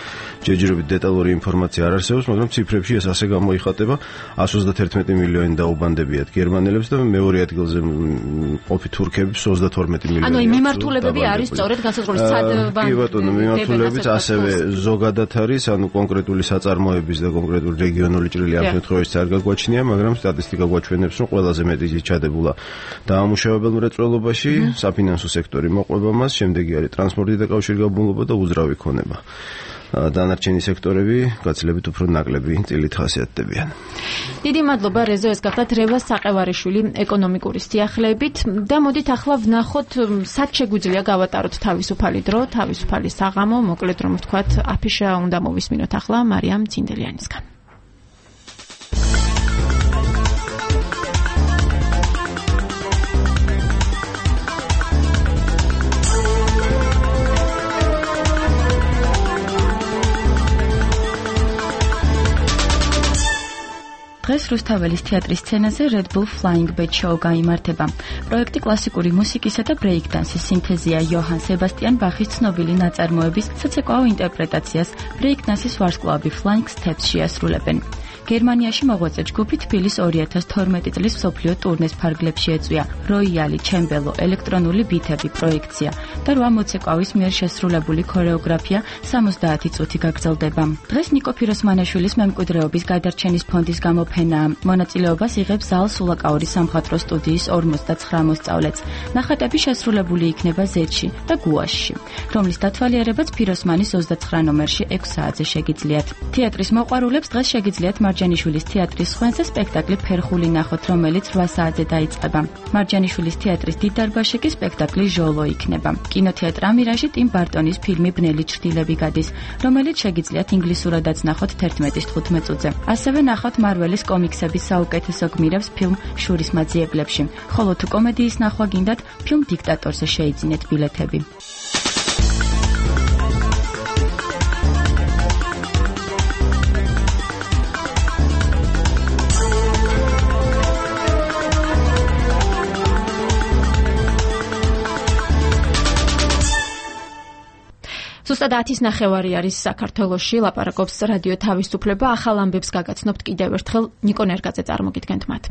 ჯერჯერობით დეტალური ინფორმაცია არ არსებობს, მაგრამ ციფრებში ეს ასე გამოიხატება. 131 მილიონი დაუბანდებიათ გერმანელებს და მეორე ადგილზე ყოფი თურქებს 32 მილიონი. ანუ მიმართულებები არის სწორედ განსაზღვრული სადბანკო. კი ბატონო, მიმართულებიც ასევე ზოგადად არის, ანუ კონკრეტული საწარმოების და კონკრეტული რეგიონული ჭრილი ამ შემთხვევაში არ გაგვაჩნია, მაგრამ სტატისტიკა გვაჩვენებს, რომ ყველაზე მეტი ჩადებულა დაამუშავებელ მრეწველობაში, საფინანსო სექტორი მოყვება მას, შემდეგი არის ტრანსპორტი და კავშირგაბმულობა და უძრავი ქონება. დანარჩენი სექტორები გაცილებით უფრო ნაკლები წილით ხასიათდებიან. დიდი მადლობა რეზო, ეს გახდათ რევაზ საყევარიშვილი ეკონომიკური სიახლეებით და მოდით ახლა ვნახოთ სად შეგვიძლია გავატაროთ თავისუფალი დრო, თავისუფალი საღამო, მოკლედ რომ ვთქვათ, აფიშა უნდა მოვისმინოთ ახლა მარიამ ცინდელიანისგან. დღეს რუსთაველის თეატრის სცენაზე Red Bull Flying Bat Show გაიმართება. პროექტი კლასიკური მუსიკისა და ბრეიკდანსის სინთეზია იოჰან სებასტიან ბახის ცნობილი ნაწარმოების საცეკვაო ინტერპრეტაციას ბრეიკდანსის ვარსკვლავები Flying Steps შეასრულებენ. გერმანიაში მოღვაწე ჯგუფი თბილის 2012 წლის მსოფლიო ტურნეს ფარგლებში ეწვია. როიალი, ჩემბელო, ელექტრონული ბითები, პროექცია და 8 მოცეკვავის მიერ შესრულებული ქორეოგრაფია 70 წუთი გაგრძელდება. დღეს ნიკო ფიროსმანაშვილის მემკვიდრეობის გადარჩენის ფონდის გამოფენაა. მონაწილეობას იღებს ზალ სულაკაურის სამხატვრო სტუდიის 59 მოსწავლეც. ნახატები შესრულებული იქნება ზეთში და გუაშში, რომლის დათვალიერებაც ფიროსმანის 29 ნომერში 6 საათზე შეგიძლიათ. თეატრის მოყვარულებს დღეს შეგიძლიათ მარჯანიშვილის თეატრის სხვენზე სპექტაკლი ფერხული ნახოთ, რომელიც 8 საათზე დაიწყება. მარჯანიშვილის თეატრის დიდ დარბაზში კი სპექტაკლი ჟოლო იქნება. კინოთეატრ ამირაჟი ტიმ ბარტონის ფილმი ბნელი ჩრდილები გადის, რომელიც შეგიძლიათ ინგლისურადაც ნახოთ 11:15 წუთზე. ასევე ნახოთ მარველის კომიქსების საუკეთესო გმირებს ფილმ შურის მაძიებლებში. ხოლო თუ კომედიის ნახვა გინდათ, ფილმ დიქტატორზე შეიძინეთ ბილეთები. ზუსტად 10:09 არის საქართველოში, ლაპარაკობს რადიო თავისუფლება. ახალ ამბებს გაგაცნობთ კიდევ ერთხელ, ნიკო ნერგაძე წარმოგიდგენთ მათ.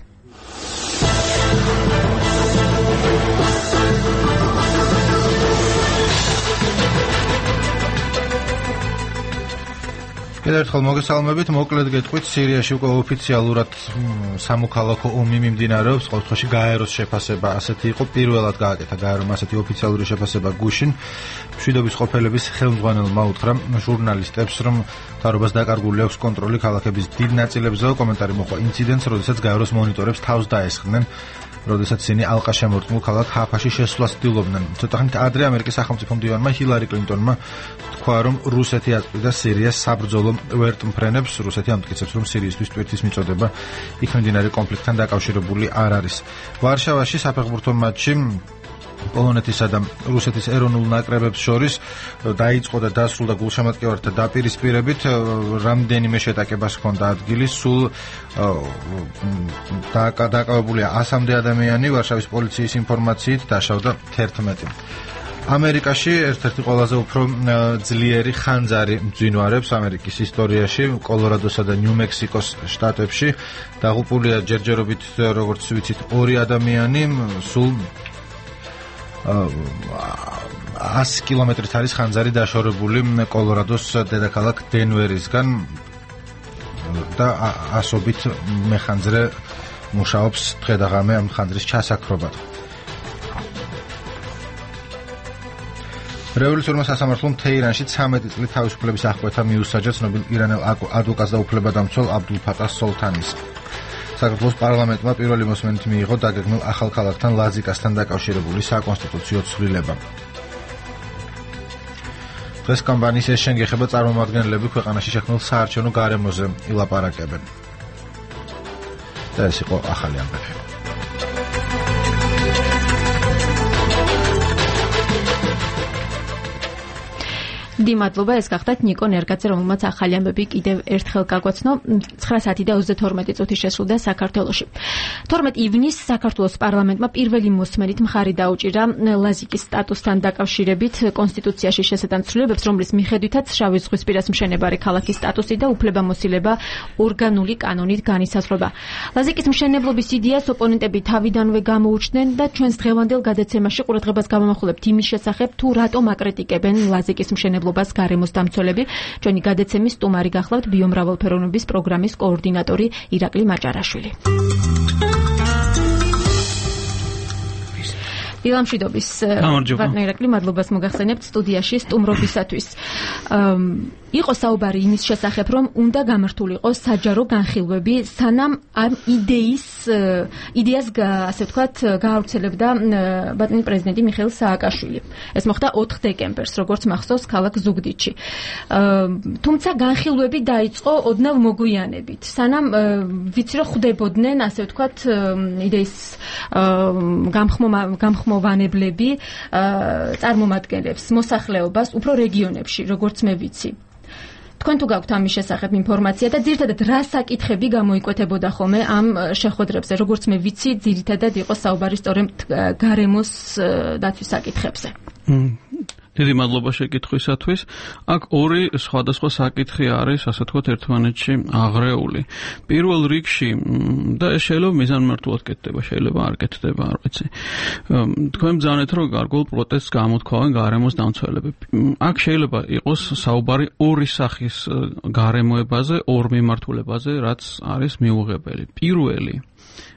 კიდევ ერთხელ მოგესალმებით, მოკლედ გეტყვით, სირიაში უკვე ოფიციალურად სამოქალაქო ომი მიმდინარეობს, ყოველთვის გაეროს შეფასება ასეთი იყო, პირველად გააკეთა გაერომ ასეთი ოფიციალური შეფასება გუშინ. მშვიდობის ყოფილების ხელმძღვანელმა უთხრა ჟურნალისტებს, რომ თავრობას დაკარგული აქვს კონტროლი ქალაქების დიდ ნაწილებზე. კომენტარი მოხდა ინციდენტს, როდესაც გაეროს მონიტორებს თავს დაესხნენ, როდესაც ისინი ალყაშემორტყმულ ქალაქ ჰაფაში შესვლას ცდილობდნენ. ცოტა ხნით ადრე ამერიკის სახელმწიფო მდივანმა ჰილარი კლინტონმა თქვა, რომ რუსეთი აწყვიდა სირიას საბრძოლო ვერტმფრენებს. რუსეთი ამტკიცებს, რომ სირიისთვის ტვირთის მიწოდება იქ მიმდინარე კონფლიქტთან დაკავშირებული არ არის. ვარშავაში საფეხბურთო მატჩი პოლონეთისა და რუსეთის ეროვნულ ნაკრებებს შორის დაიწყო და დასრულდა გულშემატკივართა დაპირისპირებით. რამდენიმე შეტაკებას ჰქონდა ადგილი, სულ დაკავებულია 100-მდე ადამიანი. ვარშავის პოლიციის ინფორმაციით დაშავდა 11. ამერიკაში ერთ-ერთი ყველაზე უფრო ძლიერი ხანძარი მძვინვარებს ამერიკის ისტორიაში, კოლორადოსა და ნიუ-მექსიკოს შტატებში. დაღუპულია ჯერჯერობით, როგორც ვიცით, 2 ადამიანი, სულ 100 კილომეტრით არის ხანძარი დაშორებული კოლორადოს დედაქალაქ დენვერისგან და ასობით მეხანძრე მუშაობს დღე და ღამე ამ ხანძრის ჩასაქრობად. რევოლუციურმა სასამართლომ თეირანში 13 წლის თავისუფლების აღკვეთა მიუსაჯა ცნობილ ირანელ ადვოკატს და უფლებადამცველ აბდულ ფატას სოლთანის. საქართველოს პარლამენტმა პირველი მოსმენით მიიღო დაგეგმილ ახალ ქალაქთან ლაზიკასთან დაკავშირებული საკონსტიტუციო ცვლილება. დღეს კომპანიის ეს შენგეხება წარმომადგენლები ქვეყანაში შექმნილ საარჩევნო გარემოზე ილაპარაკებენ. და ეს იყო ახალი ამბები. მადლობა, ეს გახდათ ნიკო ნერგაძე, რომელმაც ახალი ამბები კიდევ ერთხელ გაგვაცნო. 9:22 წუთი შესრულდა საქართველოში. 12 ივნისს საქართველოს პარლამენტმა პირველი მოსმენით მხარი დაუჭირა ლაზიკის სტატუსთან დაკავშირებით კონსტიტუციაში შესატან ცვლილებებს, რომლის მიხედვითაც შავი ზღვისპირას მშენებარე ქალაქის სტატუსი და უფლებამოსილება ორგანული კანონით განისაზღვრება. ლაზიკის მშენებლობის იდეას ოპონენტები თავიდანვე გამოუჩნდნენ და ჩვენს დღევანდელ გადაცემაში ყურადღებას გავამახვილებთ იმის შესახებ, თუ რატომ აკრიტიკებენ ლაზიკის მშენებლობას გარემოს დამცველები. ჩვენი გადაცემის სტუმარი გახლავთ ბიომრავალფეროვნების პროგრამის კოორდინატორი ირაკლი მაჭარაშვილი. დილამშვიდობის ბატონო ირაკლი, მადლობას მოგახსენებთ სტუდიაში სტუმრობისათვის. იყო საუბარი იმის შესახებ, რომ უნდა გამართულიყო საჯარო განხილვები, სანამ ამ იდეას ასე ვთქვათ გაავრცელებდა ბატონი პრეზიდენტი მიხეილ სააკაშვილი. ეს მოხდა 4 დეკემბერს, როგორც მახსოვს, ქალაქ ზუგდიდში. თუმცა განხილვები დაიწყო ოდნავ მოგვიანებით, სანამ ვიცი რომ ხვდებოდნენ ასე ვთქვათ იდეის გამხმოვანებლები წარმომადგენლებს მოსახლეობას უფრო რეგიონებში, როგორც მე ვიცი. თქვენ თუ გაქვთ ამის შესახებ ინფორმაცია და ძირითადად რა საკითხები გამოიკვეთებოდა ხოლმე ამ შეხვედრებზე, როგორც მე ვიცი, ძირითადად იყო საუბარი სწორედ გარემოს დაცვის საკითხებზე. დიდი მადლობა შეკითხვისათვის. აქ ორი სხვადასხვა საკითხი არის, ასე ვთქვათ, ერთმანეთში აღრეული. პირველ რიგში და ეს შეიძლება მიზანმიმართულად კეთდება, შეიძლება არ კეთდება, არ ვიცი. თქვენ ბრძანეთ, რომ გარკვეულ პროტესტს გამოთქვავენ გარემოს დამცველები. აქ შეიძლება იყოს საუბარი ორი სახის გარემოებაზე, ორ მიმართულებაზე, რაც არის მიუღებელი. პირველი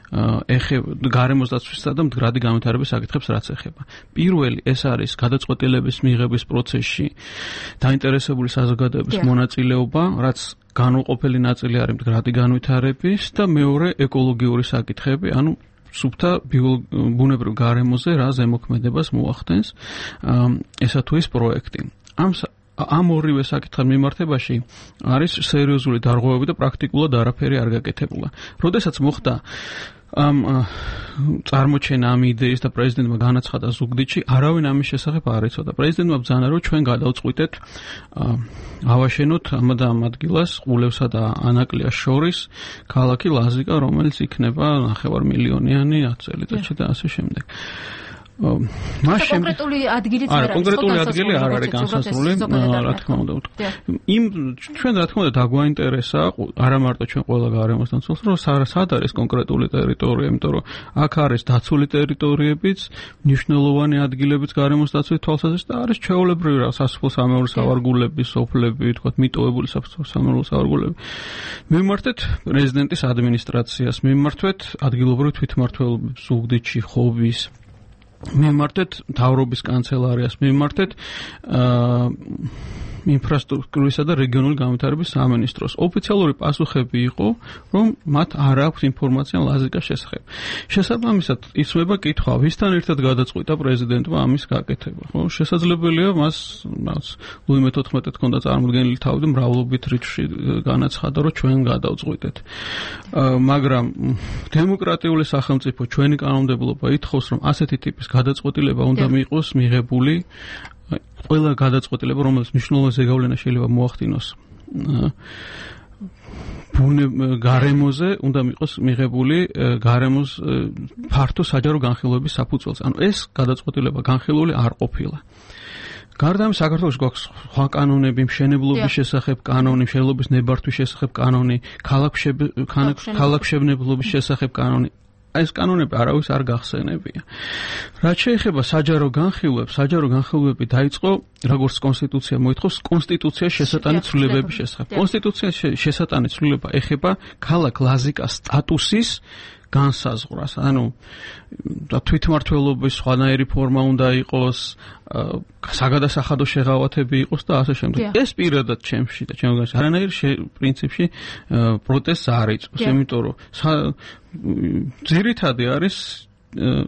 გარემოს დაცვისა და მდგრადი განვითარების საკითხებს რაც ეხება. პირველი ეს არის გადაწყვეტილების მიღების პროცესში დაინტერესებული საზოგადოების მონაწილეობა, რაც განუყოფელი ნაწილი არის მდგრადი განვითარების და მეორე ეკოლოგიური საკითხები, ანუ სუფთა ბუნებრივ გარემოზე რა ზემოქმედებას მოახდენს ესა თუ ის პროექტი. ამ ორივე საკითხთან მიმართებაში არის სერიოზული დარღვევები და პრაქტიკულად არაფერი არ გაკეთებულა. როდესაც მოხდა ამ წარმოჩენა ამ იდეის და პრეზიდენტმა განაცხადა ზუგდიდში, არავინ ამის შესახებ არ იცოდა. პრეზიდენტმა ბრძანა, რომ ჩვენ გადავწყვიტეთ ავაშენოთ ამ და ამ ადგილას ყულევსა და ანაკლიას შორის ქალაქი ლაზიკა, რომელიც იქნება 9 მილიონიანი 10 წელიწადში და ასე შემდეგ. კონკრეტული ადგილიც არ არის. კონკრეტული ადგილი არ არის განსაზღვრული, რა თქმა უნდა. იმ ჩვენ რა თქმა უნდა დაგვაინტერესა, არა მარტო ჩვენ ყველა გარემოს დამცველს, რომ სად არის კონკრეტული ტერიტორია, იმიტომ რომ აქ არის დაცული ტერიტორიებიც, მნიშვნელოვანი ადგილებიც გარემოს დაცვის თვალსაზრისით და არის ჩვეულებრივი რა სასოფლო-სამეურნეო სავარგულები, სოფლები, თქვათ, მიტოვებული სასოფლო-სამეურნეო სავარგულები. მივმართეთ პრეზიდენტის ადმინისტრაციას, მივმართეთ ადგილობრივ თვითმმართველობებს ზუგდიდში, ხობის მემართეთ მთავრობის კანცელარიას, მემართეთ ინფრასტრუქტურისა და რეგიონული განვითარების სამინისტროს. ოფიციალური პასუხები იყო, რომ მათ არ აქვს ინფორმაცია ლაზიკას შესახებ. შესაბამისად, იცვლება კითხვა, ვისთან ერთად გადაწყვიტა პრეზიდენტმა ამის გაკეთება. ხო, შესაძლებელია მას ლუი მე-14 ჰქონდა წარმოდგენილი თავი და მრავლობით რიცხვში განაცხადა, რომ ჩვენ გადავწყვიტეთ. მაგრამ დემოკრატიული სახელმწიფო ჩვენი კანონმდებლობა ითხოვს, რომ ასეთი ტიპის გადაწყვეტილება უნდა მიიღოს მიღებული ყველა გადაწყვეტილება, რომელიც მნიშვნელოვანი ზეგავლენა შეიძლება მოახდინოს გარემოზე, უნდა მიიღოს მიღებული გარემოს ფართო საჯარო განხილვების საფუძველზე. ანუ ეს გადაწყვეტილება განხილული არ ყოფილა. გარდა ამისა, საქართველოში გვაქვს სხვა კანონები, მშენებლობის შესახებ კანონი, მშენებლობის ნებართვის შესახებ კანონი, ქალაქმშენებლობის შესახებ კანონი. ეს კანონები არავის არ გახსენებია. რაც შეეხება საჯარო განხილვები დაიწყო, როგორც კონსტიტუცია მოითხოვს, კონსტიტუციის შესატანი ცვლილებების შესახებ. კონსტიტუციის შესატანი ცვლილება ეხება ქალაქ ლაზიკას სტატუსის განსაზღვრას, ანუ თვითმმართველობის სხვანაირი ფორმა უნდა იყოს, საგადასახადო შეღავათები იყოს და ასე შემდეგ. ეს პირადად ჩემში და ჩემს არანაირ პრინციპში პროტესტს არ იწვევს, იმიტომ რომ ძირითადი არის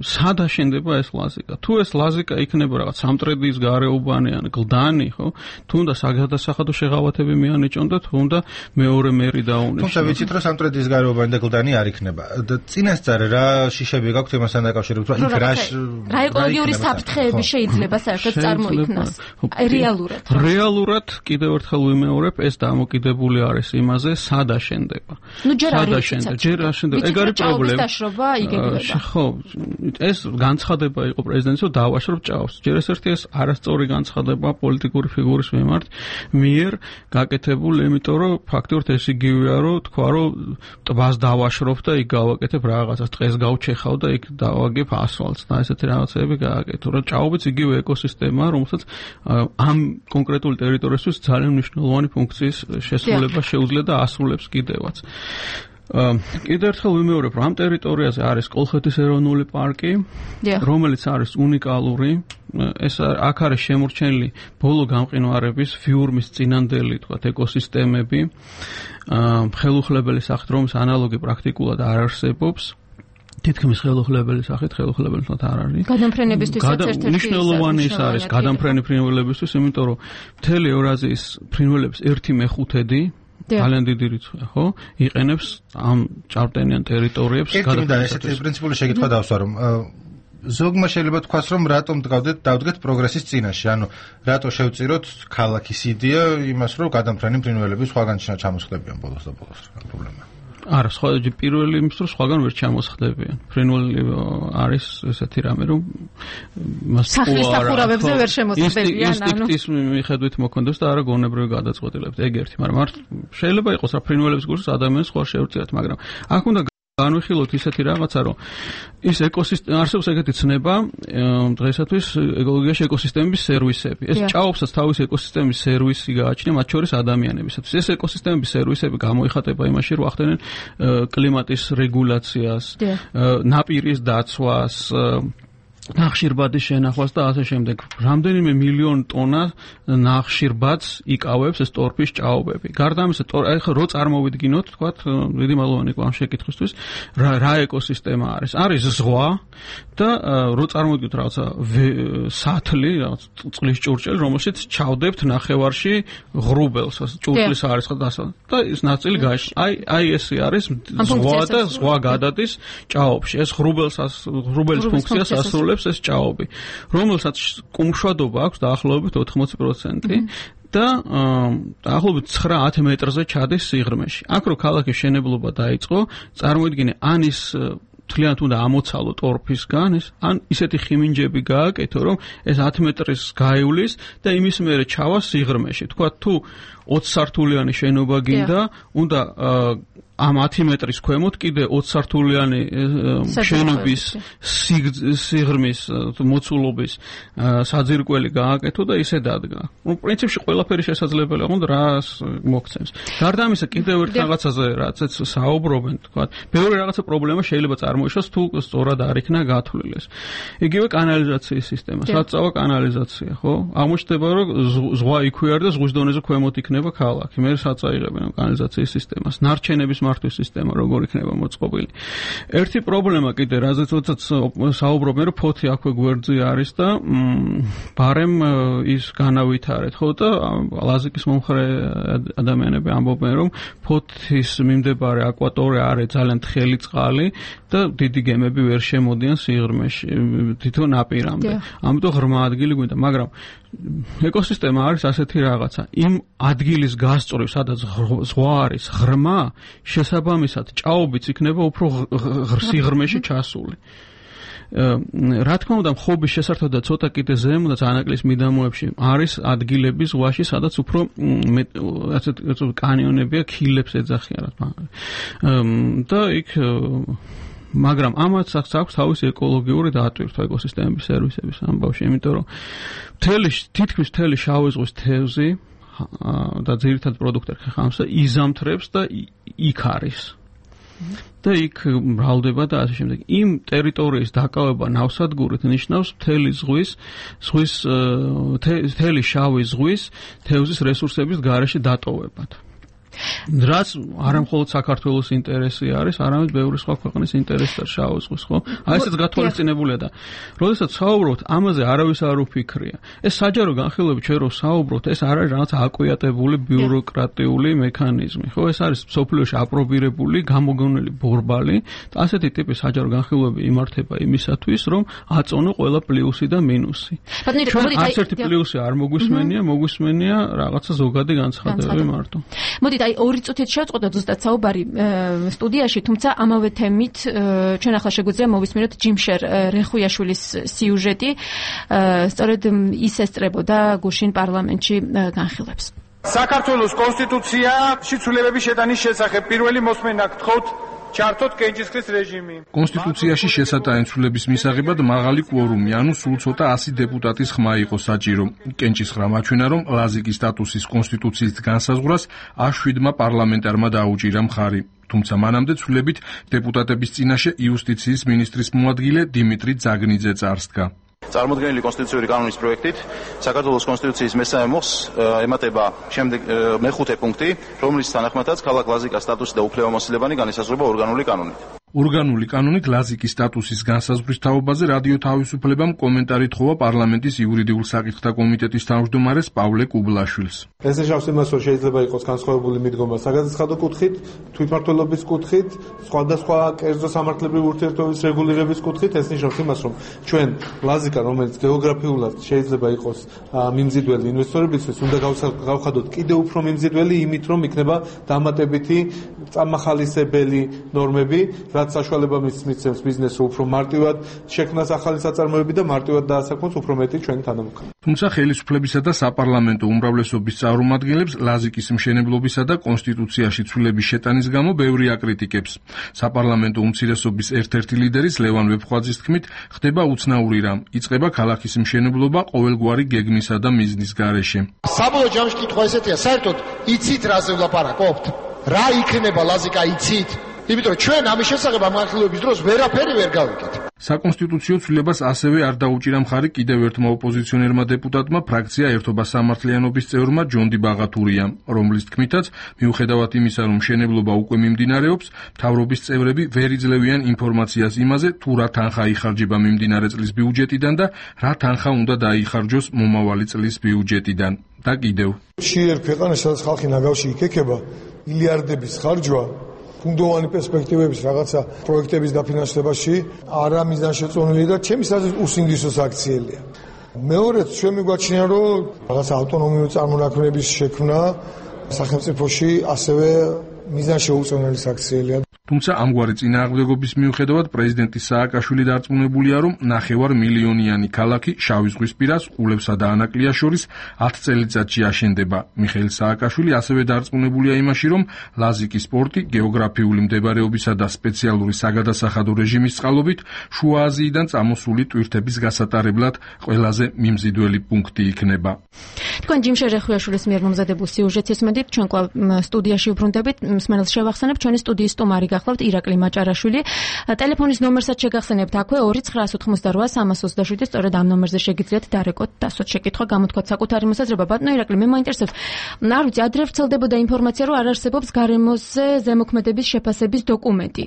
სად აშენდება ეს ლაზიკა. თუ ეს ლაზიკა იქნება რაღაც სამტრედიის გარეუბანი ან გლდანი, ხო? თუნდა საგადასახადო შეღავათები მიანიჭონ და თუნდა მეორე მერი დაუნიშნოს. თუმცა ვიცით რომ სამტრედიის გარეუბანი და გლდანი არ იქნება. წინასწარ რა შიშები გაქვთ იმასთან დაკავშირებით, რომ იქ რა ეკოლოგიური საფრთხეები შეიძლება საერთოდ წარმოიქმნას რეალურად. რეალურად კიდევ ერთხელ ვიმეორებ, ეს დამოკიდებული არის იმაზე, სად აშენდება. ნუ ჯერ არ აშენდება. ჯერ აშენდება. ეგ არის პრობლემა. დაშრობა იგეგმება. ხო, ეს განცხადება იყო პრეზიდენტის, რომ დავაშრობ ჭაობს. ჯერ ეს ერთი ეს არასწორი განცხადება პოლიტიკური ფიგურის მიერ გაკეთებული, იმიტომ რომ ფაქტობრივად ეს იგივეა, რომ თქვა, რომ ტბას დავაშრობ და იქ გავაკეთებ რაღაცას, ტყეს გავჩეხავ და იქ დავაგებ ასფალტს და ესეთი რაღაცები გააკეთო. რა ჭაობიც იგივე ეკოსისტემაა, რომელსაც ამ კონკრეტული ტერიტორიისთვის ძალიან მნიშვნელოვანი ფუნქციის შესრულება შეუძლია და ასრულებს კიდევაც. კიდევ ერთხელ ვიმეორებ, რომ ამ ტერიტორიაზე არის კოლხეთის ეროვნული პარკი, რომელიც არის უნიკალური. ეს აქ არის შემორჩენილი ბოლო გამყინვარების ფიურმის წინანდელი, თქვათ, ეკოსისტემები, ხელუხლებელი სახით, რომლის ანალოგი პრაქტიკულად არ არსებობს. თითქმის ხელუხლებელი სახით, ხელუხლებელი თქო არ არის. გადამფრენებისთვის ერთ-ერთი მნიშვნელოვანი ის არის გადამფრენი ფრინველებისთვის, იმიტომ რომ მთელი ევრაზიის ფრინველების 1/5 ძალიან დიდი რიცხვია, ხო? იყენებს ამ ჭარბტენიან ტერიტორიებს გადახედა. ესეთი პრინციპული შეკითხვა დავსვა, რომ ზოგმა შეიძლება თქვას, რომ რატომ დავდგეთ პროგრესის წინაშე, ანუ რატო შევწიროთ ქალაქის იდეა იმას, რომ გადამფრენი ფრინველები სხვაგან ჩამოსხდებიან ბოლოს და ბოლოს, რა პრობლემაა. არა, სხვა პირველი იმის რომ სხვაგან ვერ ჩამოსხდებიან. ფრინველი არის ესეთი რამე, რომ სახლის სახურავებზე ვერ შემოსხდებიან, ინსტინქტის მიხედვით მოქონდეს და არა გონებრივი გადაწყვეტილებთ. ეგ ერთი, მაგრამ შეიძლება იყოს რა ფრინველების გულს ადამიანს სხვა შეურწიათ, მაგრამ აქ უნდა განვიხილოთ ისეთი რაღაცა, რომ ის ეკოსისტემა არსებობს ეგეთი ცნება, დღეისათვის ეკოლოგიაში ეკოსისტემების სერვისები. ეს ჭაობსაც თავისი ეკოსისტემის სერვისი გააჩნია, მათ შორის ადამიანებისათვის. ეს ეკოსისტემების სერვისები გამოიხატება იმაში, რომ ახდენენ კლიმატის რეგულაციას, ნაპირის დაცვას, ნახშირბადის შენახვას და ასე შემდეგ. რამდენიმე მილიონ ტონა ნახშირბადს იკავებს ეს ტორფის ჭაობები. გარდა ამისა, ახლა რო წარმოვიდგინოთ, თქვათ, დიდი მადლობანი ამ შეკითხვისთვის, რა ეკოსისტემა არის? არის ზღვა და რო წარმოვიდგინოთ რაღაცა სათლი, რაღაც წყლის ჭურჭელი, რომელშიც ჩავდებთ ნახევარში ღრუბელს, ჭურჭლის არის და ის ნაწილი გაიშ. აი ესე არის ზღვა და ზღვა გადადის ჭაობში. ეს ღრუბელის ფუნქციას ასრულებს ეს ჭაობი, რომელსაც კუმშვადობა აქვს დაახლოებით 80% და დაახლოებით 9-10 მეტრზე ჩადის სიღრმეში. აქ რო ქალაქის შენებლობა დაიწყო, წარმოიდგინე, ან ის თლიანად უნდა ამოცალო ტორფისგან, ან ისეთი ხიმინჯები გააკეთო, რომ ეს 10 მეტრის გაივლის და იმის მერე ჩავა სიღრმეში. თქვა თუ 20 სართულიანი შენობა გინდა, უნდა ამ 10 მეტრის ქვემოთ კიდე 20 სართულიანი შენობის სიღრმის მოცულობის საძირკველი გააკეთო და ისე დადგა. პრინციპში ყველაფერი შესაძლებელია, მაგრამ რას მოგცემს. გარდა ამისა, კიდევ ერთ რაღაცაზე რაცაც საუბრობენ, თქვა, ბევრი რაღაცა პრობლემა შეიძლება წარმოიშოს თუ სწორად არ იქნა გათვლილი ეს. იგივე კანალიზაციის სისტემა, საწავო კანალიზაცია, ხო? აღმოჩნდება, რომ ზღვა იქვეარ და ზღვის დონეზე ქვემოთ იქნება ქალაქი. მე საწაიღებენ კანალიზაციის სისტემას. ნარჩენების მართვის სისტემა როგორ იქნება მოწყობილი. ერთი პრობლემა კიდე, რაზეც საუბრობენ, რომ ფოთი აქვე გვერდზე არის და ბარემ ის განავითარეთ, ხო და ლაზიკის მომხრე ადამიანები ამბობენ, რომ ფოთის მიმდებარე აკვატორია არის ძალიან თხელი წყალი და დიდი გემები ვერ შემოდიან სიღრმეში, თვითონ ნაპირამდე. ამიტომ ღრმა ადგილი გვინდა, მაგრამ ეკოსისტემა არის ასეთი რაღაცა. იმ ადგილის გასწვრივ, სადაც ზღვა არის ღრმა, შესაბამისად ჭაობიც იქნება უფრო სიღრმეში ჩასული. რა თქმა უნდა, ხობის შესართვა და ცოტა კიდე ზემო და ანაკლის მიდამოებში არის ადგილები ზღვაში, სადაც უფრო ასეთ კანიონებია, ქილებს ეძახიან. და იქ მაგრამ ამაც აქვს თავისი ეკოლოგიური დატვირთვა ეკოსისტემების სერვისების ამბავში, იმიტომ რომ თითქმის მთელი შავი ზღვის თევზი და ძირითად პროდუქტი ხეხამსა იზამთრებს და იქ არის. და იქ მრავლდება და ასე შემდეგ. იმ ტერიტორიის დაკავება ნავსადგურით ნიშნავს მთელი შავი ზღვის თევზის რესურსების გარეშე დატოვებად. რაც არა მხოლოდ საქართველოს ინტერესი არის, არამედ ბევრი სხვა ქვეყნის ინტერესია შავ ზღვის, ხო? აი ესეც გათვალისწინებულია და როდესაც საუბრობთ, ამაზე არავის არ უფიქრია. ეს საჯარო განხილვები ჩვენ რო საუბრობთ, ეს არ არის რაღაც აკვიატებული ბიუროკრატიული მექანიზმი, ხო? ეს არის სოფლიოში აპრობირებული, გამოგონილი ბორბალი და ასეთი ტიპის საჯარო განხილვები იმართება იმისათვის, რომ აწონო ყველა პლუსი და მინუსი. არც ერთი პლუსი არ მოგვისმენია რაღაცა ზოგადი განცხადებები მარტო. მოდით, აი 2 წუთით შევწყვეტოთ ზუსტად საუბარი სტუდიაში, თუმცა ამავე თემით ჩვენ ახლა შეგვიძლია მოვისმინოთ ჯიმშერ რეხუიაშვილის სიუჟეტი, სწორედ ის ესწრებოდა გუშინ პარლამენტში განხილვებს. საქართველოს კონსტიტუცია შიცვლებების შეტანის შესახებ პირველი მოსმენა გთხოვთ ჩართოთ კენჭისყრის რეჟიმი. კონსტიტუციაში შესატანცვლების მისაღებად მაღალი კვორუმი, ანუ სულ ცოტა 100 დეპუტატის ხმა იყო საჭირო. კენჭისყრა მაჩვენა, რომ ლაზიკის სტატუსის კონსტიტუციის განსაზღვრას A7-მა პარლამენტარმა დაუჭირა მხარი. თუმცა მანამდე ცვლილებით დეპუტატების წინაშე იუსტიციის მინისტრის მოადგილე დიმიტრი ძაგნიძე წარსდგა. წარმოდგენილი კონსტიტუციური კანონის პროექტით საქართველოს კონსტიტუციის მესამე მოხს ემატება შემდეგ მეხუთე პუნქტი, რომლის თანახმადაც ქალაქ ლაზიკას სტატუსი და უფლებამოსილებანი განისაზღვრება ორგანული კანონით. ორგანული კანონით ლაზიკის სტატუსის განსაზღვრის თაობაზე რადიო თავისუფლებამ კომენტარი თხოვა პარლამენტის იურიდიულ საკითხთა კომიტეტის თავმჯდომარეს პავლე კუბლაშვილს. ეს ნიშნავს იმას, რომ შეიძლება იყოს განსხვავებული მიდგომა საგადასახადო კუთხით, თვითმმართველობის კუთხით, სხვადასხვა კერძო სამართლებრივი ურთიერთობების რეგულირების კუთხით. ეს ნიშნავს იმას, რომ ჩვენ ლაზიკა, რომელიც გეოგრაფიულად შეიძლება იყოს მიმზიდველი ინვესტორებისთვის, უნდა გავხადოთ კიდევ უფრო მიმზიდველი იმით, რომ იქნება დამატებითი წამახალისებელი ნორმები, რაც საშუალება მისცემს ბიზნესს უფრო მარტივად შექმნას ახალი საწარმოები და მარტივად დაასაქმოს უფრო მეტი ჩვენი თანამოქმედი. თუმცა ხელისუფლებისა და საპარლამენტო უმრავლესობის წარმომადგენლებს ლაზიკის მშენებლობისა და კონსტიტუციაში ცვლილების შეტანის გამო ბევრი აკრიტიკებს. საპარლამენტო უმცირესობის ერთ-ერთი ლიდერის ლევან ვეფხვაძის თქმით, ხდება უცნაური რამ, იწყება ქალაქის მშენებლობა ყოველგვარი გეგმისა და მიზნის გარეშე. საბოლოო ჯამში კითხვა ესეთია, საერთოდ იცით რაზე ვლაპარაკობთ? რა იქნება ლაზიკა იცით? იმიტომ რომ ჩვენ ამის შესახებ ამ განხილვების დროს ვერაფერი ვერ გავიგეთ. საკონსტიტუციო ცვლილებას ასევე არ დაუჭირა მხარი კიდევ ერთმა ოპოზიციონერმა დეპუტატმა ფრაქცია ერთობა სამართლიანობის წევრმა ჯონდი ბაღათურიამ, რომლის თქმითაც, მიუხედავად იმისა, რომ მშენებლობა უკვე მიმდინარეობს, მთავრობის წევრები ვერ იძლევიან ინფორმაციას იმაზე, თუ რა თანხა იხარჯება მიმდინარე წლის ბიუჯეტიდან და რა თანხა უნდა დაიხარჯოს მომავალი წლის ბიუჯეტიდან. და კიდევ. შეერ ქვეყანაში სადაც ხალხი ნაგავში იქექება, მილიარდების ხარჯვა ფუნდოვანი პერსპექტივების რაღაცა პროექტების დაფინანსებაში არა მიზანშეწონილი და ჩემი აზრით უსინდისო საქციელია. მეორეც ჩვენ მიგვაჩნია, რომ რაღაცა ავტონომიური წარმონაქმნების შექმნა სახელმწიფოში ასევე მიზანშეუწონელი საქციელია. თუმცა ამგვარი წინააღმდეგობის მიუხედავად პრეზიდენტი სააკაშვილი დარწმუნებულია, რომ 9 მილიონიანი ქალაქი შავი ზღვის პირას ყულებსა და ანაკლიას შორის 10 წელიწადში აშენდება. მიხეილ სააკაშვილი ასევე დარწმუნებულია იმაში, რომ ლაზიკის პორტი გეოგრაფიული მდებარეობისა და სპეციალური საგადასახადო რეჟიმის წყალობით შუა აზიიდან წამოსული ტვირთების გასატარებლად ყველაზე მიმზიდველი პუნქტი იქნება. თქვენ ჯიმ შერეხვიაშვილის მიერ მომზადებულ სიუჟეტს ესმოდით, ჩვენ კვლავ სტუდიაში უბრუნდებით, მსმენელს შევახსენებ, ჩვენი სტუდიის სტუმარი გახლავთ ირაკლი მაჭარაშვილი. ტელეფონის ნომერსაც შეგახსენებთ აქვე 2988 სწორედ ამ ნომერზე შეგიძლიათ დარეკოთ დასვათ შეკითხვა, გამოთქვათ საკუთარი მოსაზრება. ბატონო ირაკლი, მე მაინტერესებს, არ ვიცი, ადრე ვრცელდებოდა ინფორმაცია, რომ არ არსებობს გარემოზე ზემოქმედების შეფასების დოკუმენტი.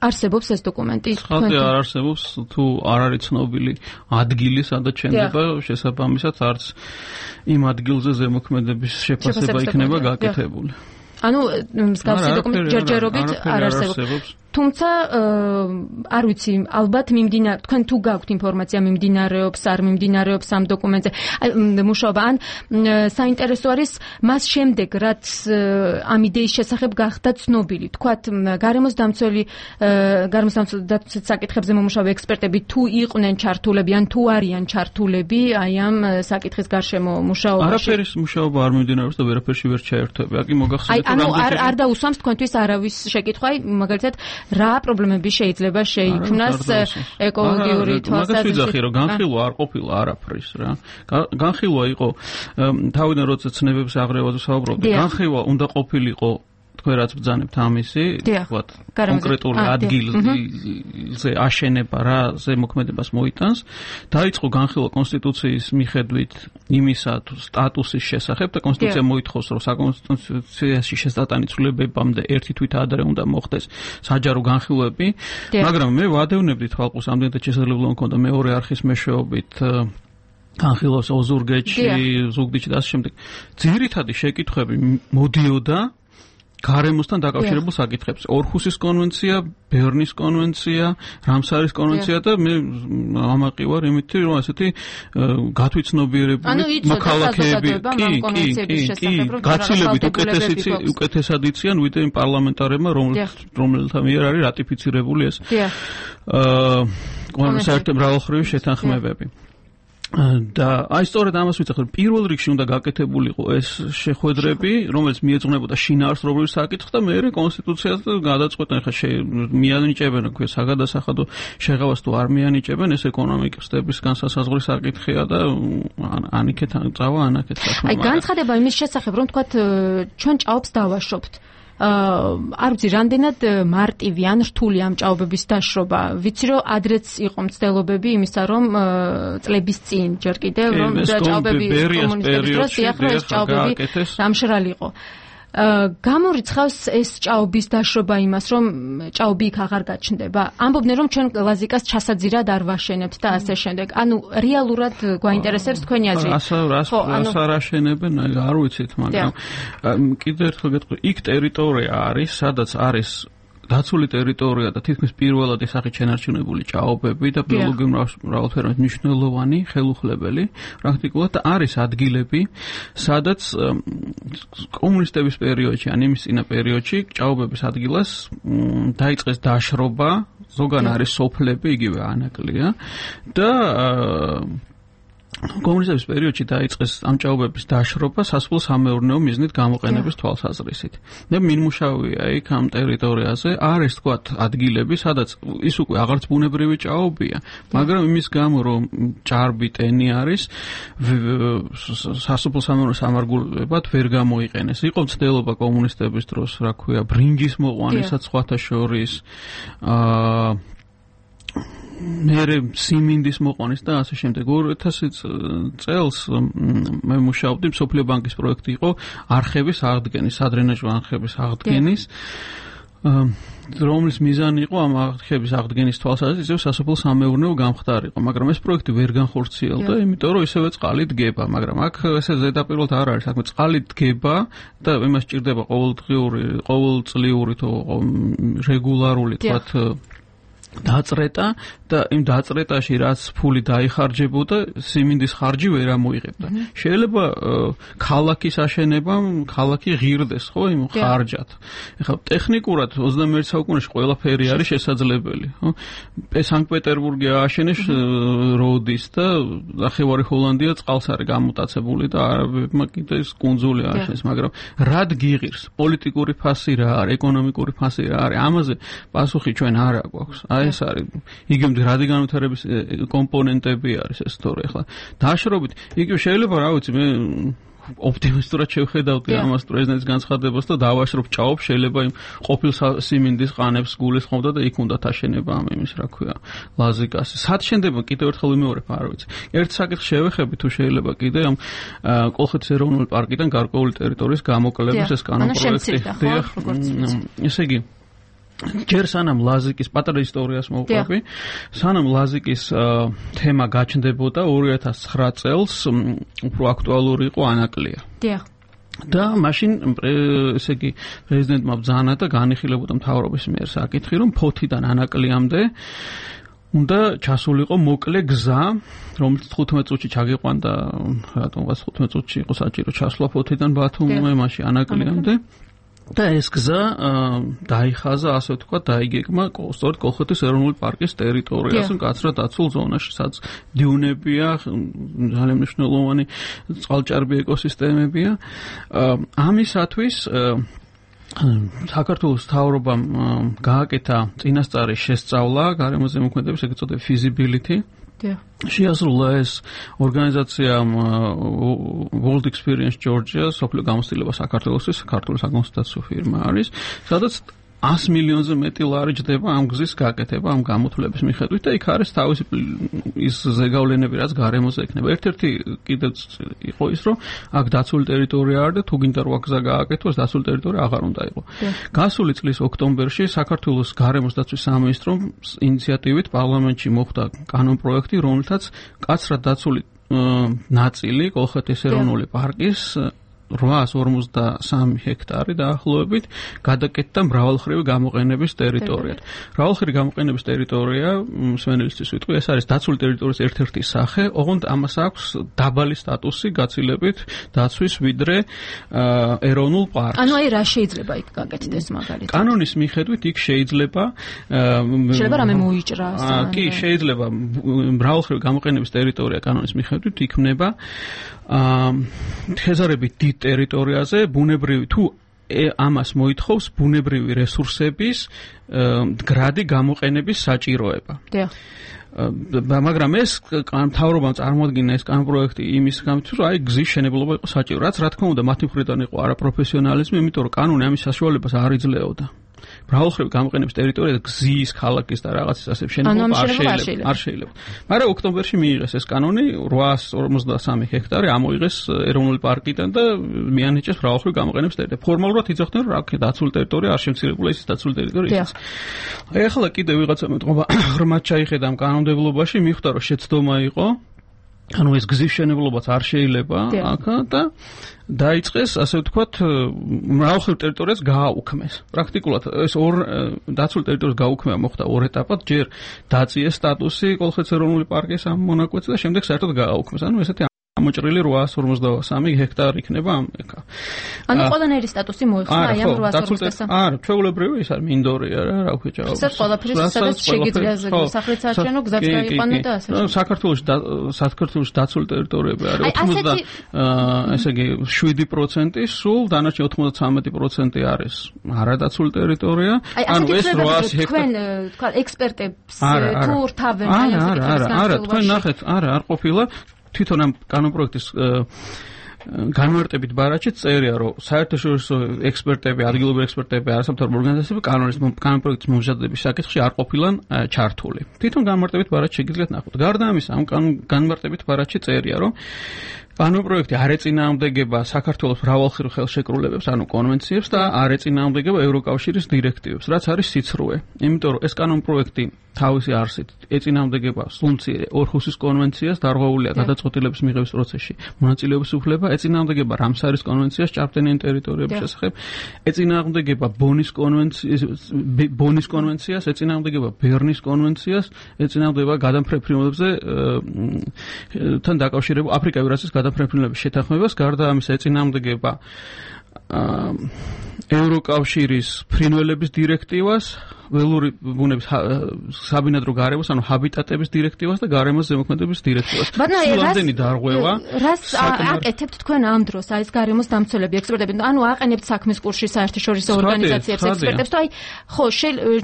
არსებობს ეს დოკუმენტი? ხალხი არ არსებობს, თუ არ არის ცნობილი ადგილი, სადაც შენდება, შესაბამისად არც იმ ადგილზე ზემოქმედების შეფასება იქნება გაკეთებული. ანუ მსგავსი დოკუმენტი ჯერჯერობით არ არსებობს. თუმცა არ ვიცი, ალბათ თქვენ თუ გაქვთ ინფორმაცია მიმდინარეობს, არ მიმდინარეობს ამ დოკუმენტზე. მუშაობა ან საინტერესო არის მას შემდეგ, რაც ამ იდეის შესახებ გახდა ცნობილი. თქვათ, გარემოს დამცველი საკითხებზე მომუშავე ექსპერტები თუ იყვნენ ჩართულები, ან თუ არიან ჩართულები აი ამ საკითხის გარშემო მუშაობაში. არაფერის მუშაობა არ მიმდინარეობს და ვერაფერში ვერ ჩაერთვები. აკი მოგახსენეთ, ანუ არ დაუსვამს თქვენთვის არავის შეკითხვა, მაგალითად რა პრობლემები შეიძლება შეიქმნას ეკოლოგიური თვალსაზრისით? მაგას ვიძახი, რომ განხილვა არ ყოფილა არაფრის რა. განხილვა იყო თავიდან როცა ცნებებს აღრევაზე საუბრობდი, განხილვა უნდა ყოფილიყო თქვენ რაც ბრძანებთ ამისი, ვთქვათ, კონკრეტული ადგილზე აშენება რა ზემოქმედებას მოიტანს, დაიწყო განხილვა კონსტიტუციის მიხედვით იმისა სტატუსის შესახებ და კონსტიტუცია მოითხოვს, რომ საკონსტიტუციაში შესატანი ცვლილებებამდე ერთი თვით ადრე უნდა მოხდეს საჯარო განხილვები, მაგრამ მე ვადევნებდი თვალყურს ამდენად შესაძლებლობა მქონდა მეორე არხის მეშვეობით განხილვას ოზურგეთში, ზუგდიდში და ასე შემდეგ. ძირითადი შეკითხვები მოდიოდა გარემოსთან დაკავშირებულ საკითხებს. ორხუსის კონვენცია, ბერნის კონვენცია, რამსარის კონვენცია და მე ამაყი ვარ იმით, რომ ასეთი გათვითცნობიერებული მოქალაქეები გაცილებით უკეთესად იციან ვიდრე იმ პარლამენტარებმა, რომელთა მიერ არის რატიფიცირებული ეს საერთო მრავალხრივი შეთანხმებები. და აი სწორედ ამას ვიცახ, რომ პირველ რიგში უნდა გაკეთებულიყო ეს შეხვედრები, რომელიც მიეძღვნებოდა შინაარსობრივ საკითხს და მეორე კონსტიტუციას გადაწყვეტენ, ხა მიანიჭებენ თქვენ საგადასახადო შეღავას თუ არ მიანიჭებენ, ეს ეკონომიკის განსასაზღვრის საკითხია და ანიქეთ წავა ანაკეთ საქმე. აი განცხადება იმის შესახებ, რომ თქვათ ჩვენ ჭაობს დავაშობთ. არ ვიცი, რამდენად მარტივი ან რთული ამ ჭაობების დაშრობა. ვიცი, რომ ადრეც იყო მცდელობები იმისა, რომ წლების წინ ჯერ კიდევ რომ ჭაობები კომუნისტების დროს ეს ჭაობები დამშრალი იყო. გამორიცხავს ეს ჭაობის დაშრობა იმას, რომ ჭაობი იქ აღარ გაჩნდება. ამბობდნენ, რომ ჩვენ ლაზიკას ჩასაძირად არ ვაშენებთ და ასე შემდეგ. ანუ რეალურად გვაინტერესებს თქვენი აზრი. რას არ აშენებენ, არ ვიცით, მაგრამ კიდევ ერთხელ გეტყვი, იქ ტერიტორია არის, სადაც არის დაცული ტერიტორია და თითქმის პირველად სახით შენარჩუნებული ჭაობები და ბიოლოგიური მრავალფეროვნების მნიშვნელოვანი ხელუხლებელი პრაქტიკულად არის ადგილები, სადაც კომუნისტების პერიოდში, ან იმის წინა პერიოდში ჭაობების ადგილას დაიწყეს დაშრობა, ზოგან არის სოფლები, იგივე ანაკლია და კომუნიზმის პერიოდში დაიწყეს ამ ჭაობების დაშრობა სასოფლო-სამეურნეო მიზნით გამოყენების თვალსაზრისით. და მინმუშავია იქ ამ ტერიტორიაზე არის თქვათ ადგილები, სადაც ის უკვე აღარც ბუნებრივი ჭაობია, მაგრამ იმის გამო რომ ჭარბი ტენი არის, სასოფლო-სამეურნეო სამარგულებად ვერ გამოიყენეს. იყო მცდელობა კომუნისტების დროს, რა ქვია, ბრინჯის მოყვანისაც სხვათა შორის მერე სიმინდის მოყვანის და ასე შემდეგ. 2000 წელს მე მუშაობდი, მსოფლიო ბანკის პროექტი იყო არხების აღდგენის, სადრენაჟო არხების აღდგენის, რომლის მიზანი იყო ამ არხების აღდგენის თვალსაზრისით ისევ სასოფლო-სამეურნეო გამხდარიყო, მაგრამ ეს პროექტი ვერ განხორციელდა, იმიტომ რომ ისევე წყალი დგება, მაგრამ აქ ესე ზედაპირულად არ არის, საქმე წყალი დგება და იმას ჭირდება ყოველწლიური თუ რეგულარული თქვათ დაწრეტა და იმ დაწრეტაში რაც ფული დაიხარჯებოდა, სიმინდის ხარჯი ვერ ამოიღებდა. შეიძლება ქალაქის აშენებამ ქალაქი ღირდეს, ხო, იმ ხარჯად. ეხლა ტექნიკურად 21 საუკუნეში ყველაფერი არის შესაძლებელი, ხო? სანქტ-პეტერბურგი ააშენეს როდის და ნახევარი ჰოლანდია წყალს არის გამოტაცებული და არაბებმა კიდე ეს კუნძული ააშენეს, მაგრამ რად გიღირს? პოლიტიკური ფასი რა არის, ეკონომიკური ფასი რა არის? ამაზე პასუხი ჩვენ არ აქვს. ეს არის იგივე რადი განვითარების კომპონენტები არის ეს თორე ახლა დაშრობით იგივე შეიძლება რა ვიცი მე ოპტიმისტურად შევხედავდი ამას პრეზიდენტის განცხადებას და დავაშრობ ჭაობს შეიძლება იმ ყოფილ სიმინდის ყანებს გულისხმობდა და იქ უნდა აშენება ამ იმის რა ქვია ლაზიკას სად შენდება კიდევ ერთხელ ვიმეორებ არ ვიცი ერთ საკითხს შევეხები თუ შეიძლება კიდე ამ კოლხეთის ეროვნული პარკიდან გარკვეული ტერიტორიის გამოკლების ეს კანონპროექტი ესე იგი ჯერ სანამ ლაზიკის პატარა ისტორიას მოვყვები, სანამ ლაზიკის თემა გაჩნდებოდა 2009 წელს უფრო აქტუალური იყო ანაკლია. დიახ. და მაშინ ესე იგი პრეზიდენტმა ბრძანა და განიხილებოდა მთავრობის მიერ საკითხი, რომ ფოთიდან ანაკლიამდე უნდა ჩასულიყო მოკლე გზა, რომელიც 15 წუთში ჩაგიყვანდა, რატომღაც 15 წუთში იყო საჭირო ჩასვლა ფოთიდან ბათუმზე, მაშინ ანაკლიამდე. და ეს გზა დაიხაზა, ასე ვთქვათ, დაიგეგმა სწორედ კოლხეთის ეროვნული პარკის ტერიტორიაზე, მკაცრად დაცულ ზონაში, სადაც დიუნებია, ძალიან მნიშვნელოვანი წყალჭარბი ეკოსისტემებია. ამისათვის საქართველოს მთავრობამ გააკეთა წინასწარი შესწავლა გარემოზე მოქმედების, ეგრეთ წოდებული feasibility. შეასრულა ეს ორგანიზაციამ World Experience Georgia, სოფლიო გამოცდილება საქართველოსთვის, საქართველოს საკონსულტაციო ფირმა არის, სადაც 100 მილიონზე მეტი ლარი ჯდება ამ გზის გაკეთება, ამ გამოთვლების მიხედვით და იქ არის თავისი ის ზეგავლენები, რაც გარემოზე ექნება. ერთ-ერთი კიდევ იყო ის, რომ აქ დაცული ტერიტორია არის და თუ გინდა რომ აქ გზა გააკეთოს, დაცული ტერიტორია აღარ უნდა იყოს. გასული წლის ოქტომბერში საქართველოს გარემოს დაცვის სამინისტრომ ინიციატივით პარლამენტში მოხდა კანონპროექტი, რომელთაც მკაცრად დაცული ნაწილი კოლხეთის ეროვნული პარკის 853 ჰექტარი დაახლოებით გადაკეთდა მრავალხრივი გამოყენების ტერიტორიად. მრავალხრივი გამოყენების ტერიტორია, მსმენელისთვის ვიტყვი, ეს არის დაცული ტერიტორიის ერთ-ერთი სახე, ოღონდ ამას აქვს დაბალი სტატუსი გაცილებით დაცვის ვიდრე ეროვნულ პარკს. ანუ აი რა შეიძლება იქ გაკეთდეს მაგალითად? კანონის მიხედვით იქ შეიძლება რამე მოიჭრას. კი, შეიძლება მრავალხრივი გამოყენების ტერიტორია კანონის მიხედვით იქნება თეზარებით დიდ ტერიტორიაზე ბუნებრივი თუ ამას მოითხოვს ბუნებრივი რესურსების მდგრადი გამოყენების საჭიროება. დიახ. მაგრამ ეს მთავრობამ წარმოადგინა ეს კანონპროექტი იმის გამო, რომ აი გზის შენებლობა იყო საჭირო. რაც რა თქმა უნდა მათი მხრიდან იყო არაპროფესიონალიზმი, იმიტომ რომ კანონი ამის საშუალებას არ იძლეოდა. მრავალხრივი გამოყენების ტერიტორია გზის, ქალაქის და რაღაცის ასე შენობა არ შეიძლება. მაგრამ ოქტომბერში მიიღეს ეს კანონი 853 ჰექტარი ამოიღეს ეროვნული პარკიდან და მიანიჭეს მრავალხრივი გამოყენების ტერიტორია. ფორმალურად იძახდნენ რომ აქ დაცული ტერიტორია არ შემცირებულა ის დაცული ტერიტორია. ეხლა კიდე ვიღაცა მეტყობა ღრმად ჩაიხედა ამ კანონმდებლობაში, მიხვდა რომ შეცდომა იყო ანუ ეს გზის მშენებლობაც არ შეიძლება აქ და დაიწყეს ასე ვთქვათ მრავალხრივ ტერიტორიას გააუქმეს. პრაქტიკულად ეს ორ დაცულ ტერიტორიას გააუქმება მოხდა ორ ეტაპად, ჯერ დაწიეს სტატუსი კოლხეთის ეროვნული პარკის ამ მონაკვეთზე და შემდეგ საერთოდ გააუქმეს. ანუ ესეთი ამოჭრილი 853 ჰექტარი იქნება ამ ეკა. ანუ ყველანაირი სტატუსი მოიხსნა აი ამ 853. არა, ჩვეულებრივი ის არის მინდორია რა, რა ვქო ჭაობს. ეს ყველაფერი სადაც შეგიძლია სახლის საარჩევნო გზაც გაიყვანო და ასე. საქართველოში დაცული ტერიტორიები არის 80 ესე იგი 7% სულ დანარჩენი 93% არის არადაცული ტერიტორია. ანუ ეს 800 ჰექტარი. თქვენ თქვა ექსპერტებს თუ რთავენ აი ამ საკითხის არა, თქვენ ნახეთ, არ ყოფილა თვითონ ამ კანონპროექტის განმარტებით ბარათში წერია, რომ საერთაშორისო ექსპერტები, ადგილობრივი ექსპერტები, არასამთავრობო ორგანიზაციები კანონპროექტის მომზადების საკითხში არ ყოფილან ჩართული. თვითონ განმარტებით ბარათში შეგიძლიათ ნახოთ. გარდა ამისა, ამ განმარტებით ბარათში წერია, რომ კანონპროექტი არ ეწინააღმდეგება საქართველოს მრავალხრივ ხელშეკრულებებს, ანუ კონვენციებს და არ ეწინააღმდეგება ევროკავშირის დირექტივებს, რაც არის სიცრუე. იმიტომ რომ ეს კანონპროექტი თავისი არსით ეწინააღმდეგება სულმცირე ორხუსის კონვენციას, დარღვეულია გადაწყვეტილების მიღების პროცესში მონაწილეობის უფლება, ეწინააღმდეგება რამსარის კონვენციას ჭარბტენიან ტერიტორიების შესახებ, ეწინააღმდეგება ბონის კონვენციას, ეწინააღმდეგება ბერნის კონვენციას, ეწინააღმდეგება გადამფრენებლებზე თან დაკავშირებულ აფრიკა-ევრაზიის გადამფრენებლების შეთანხმებას, გარდა ამისა ეწინააღმდეგება ევროკავშირის ფრინველების დირექტივას, ველური ბუნების საბინადრო გარემოს, ანუ ჰაბიტატების დირექტივას და გარემოს ზემოქმედების დირექტივას. სულამდენი დარღვევა. რას აკეთებთ თქვენ ამ დროს, აი ეს გარემოს დამცველები, ექსპერტები, ანუ აყენებთ საქმის კურსში საერთაშორისო ორგანიზაციებს, ექსპერტებს, აი ხო,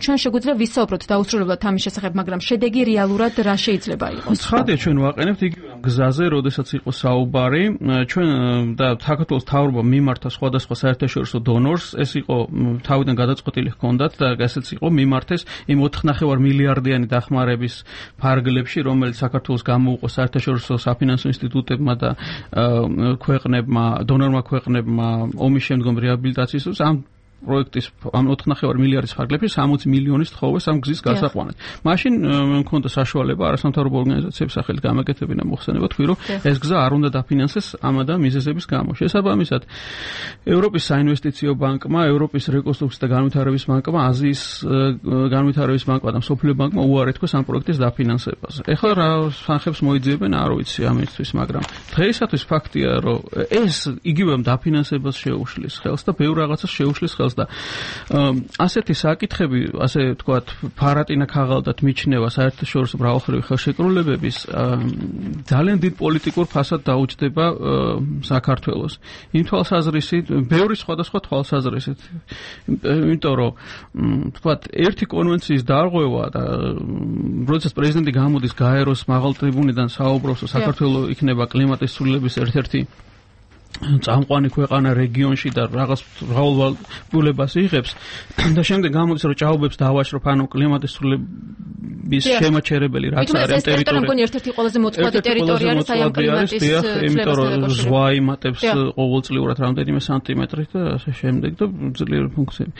ჩვენ შეგვიძლია ვისაუბროთ დაუსრულებლად ამის შესახებ, მაგრამ შედეგი რეალურად რა შეიძლება იყოს? ცხადია, ჩვენ ვაყენებთ იგივე გზაზე, როდესაც იყო საუბარი, ჩვენ და საქართველოს მთავრობა მიმართა სხვადასხვა საერთაშორისო დონორს, ეს იყო თავიდან გადაწყვეტილი ჰქონდათ და ესეც იყო მიმართეს იმ 4.5 მილიარდიანი დახმარების ფარგლებში, რომელიც საქართველოს გამოუყო საერთაშორისო საფინანსო ინსტიტუტებმა და ქვეყნებმა, დონორმა ქვეყნებმა ომის შემდგომ რეაბილიტაციის ამ პროექტის ამ 4.5 მილიარდის ფარგლებში 60 მილიონის თხოვეს ამ გზის გასაყვანად. მაშინ მქონდა საშუალება არასამთავრობო ორგანიზაციების სახელით გამეკეთებინა მოხსენება, თქვი რომ ეს გზა არ უნდა დაფინანსეს ამ და მიზეზების გამო. შესაბამისად, ევროპის საინვესტიციო ბანკმა, ევროპის რეკონსტრუქციის და განვითარების ბანკმა, აზიის განვითარების ბანკმა და მსოფლიო ბანკმა უარი თქვეს ამ პროექტის დაფინანსებაზე. ეხლა რა თანხებს მოიძიებენ, არ ვიცი ამისთვის, მაგრამ დღეისათვის ფაქტია, რომ ეს იგივე დაფინანსებას შეუშლის ხელს და ბევრ რაღაცას შეუშლის ხელს და ასეთი საკითხები, ასე ვთქვათ, ფარატინა ქაღალდად მიჩნევა საერთაშორისო მრავალხრივი ხელშეკრულებების ძალიან დიდ პოლიტიკურ ფასად დაუჯდება საქართველოს. იმ თვალსაზრისით, ბევრი სხვადასხვა თვალსაზრისით. იმიტომ რომ ვთქვათ, ერთი კონვენციის დარღვევა და როდესაც პრეზიდენტი გამოდის გაეროს მაღალ ტრიბუნიდან საუბრობს, საქართველოს იქნება კლიმატის ცვლილების ერთ-ერთი წამყვანი ქვეყანა რეგიონში და რაღაც მრავალვალებულებას იღებს და შემდეგ გამოდის რომ ჭაობებს დავაშრობ, ანუ კლიმატის ცვლილების შემაჩერებელი რაც არის ამ ტერიტორიაზე. მგონი ერთ-ერთი ყველაზე მოწყობილი ტერიტორია არის აი ამ კლიმატის იმიტომ რომ ზღვა იმატებს ყოველწლიურად რამდენიმე სანტიმეტრით და ასე შემდეგ და ძლიერი ფუნქციები.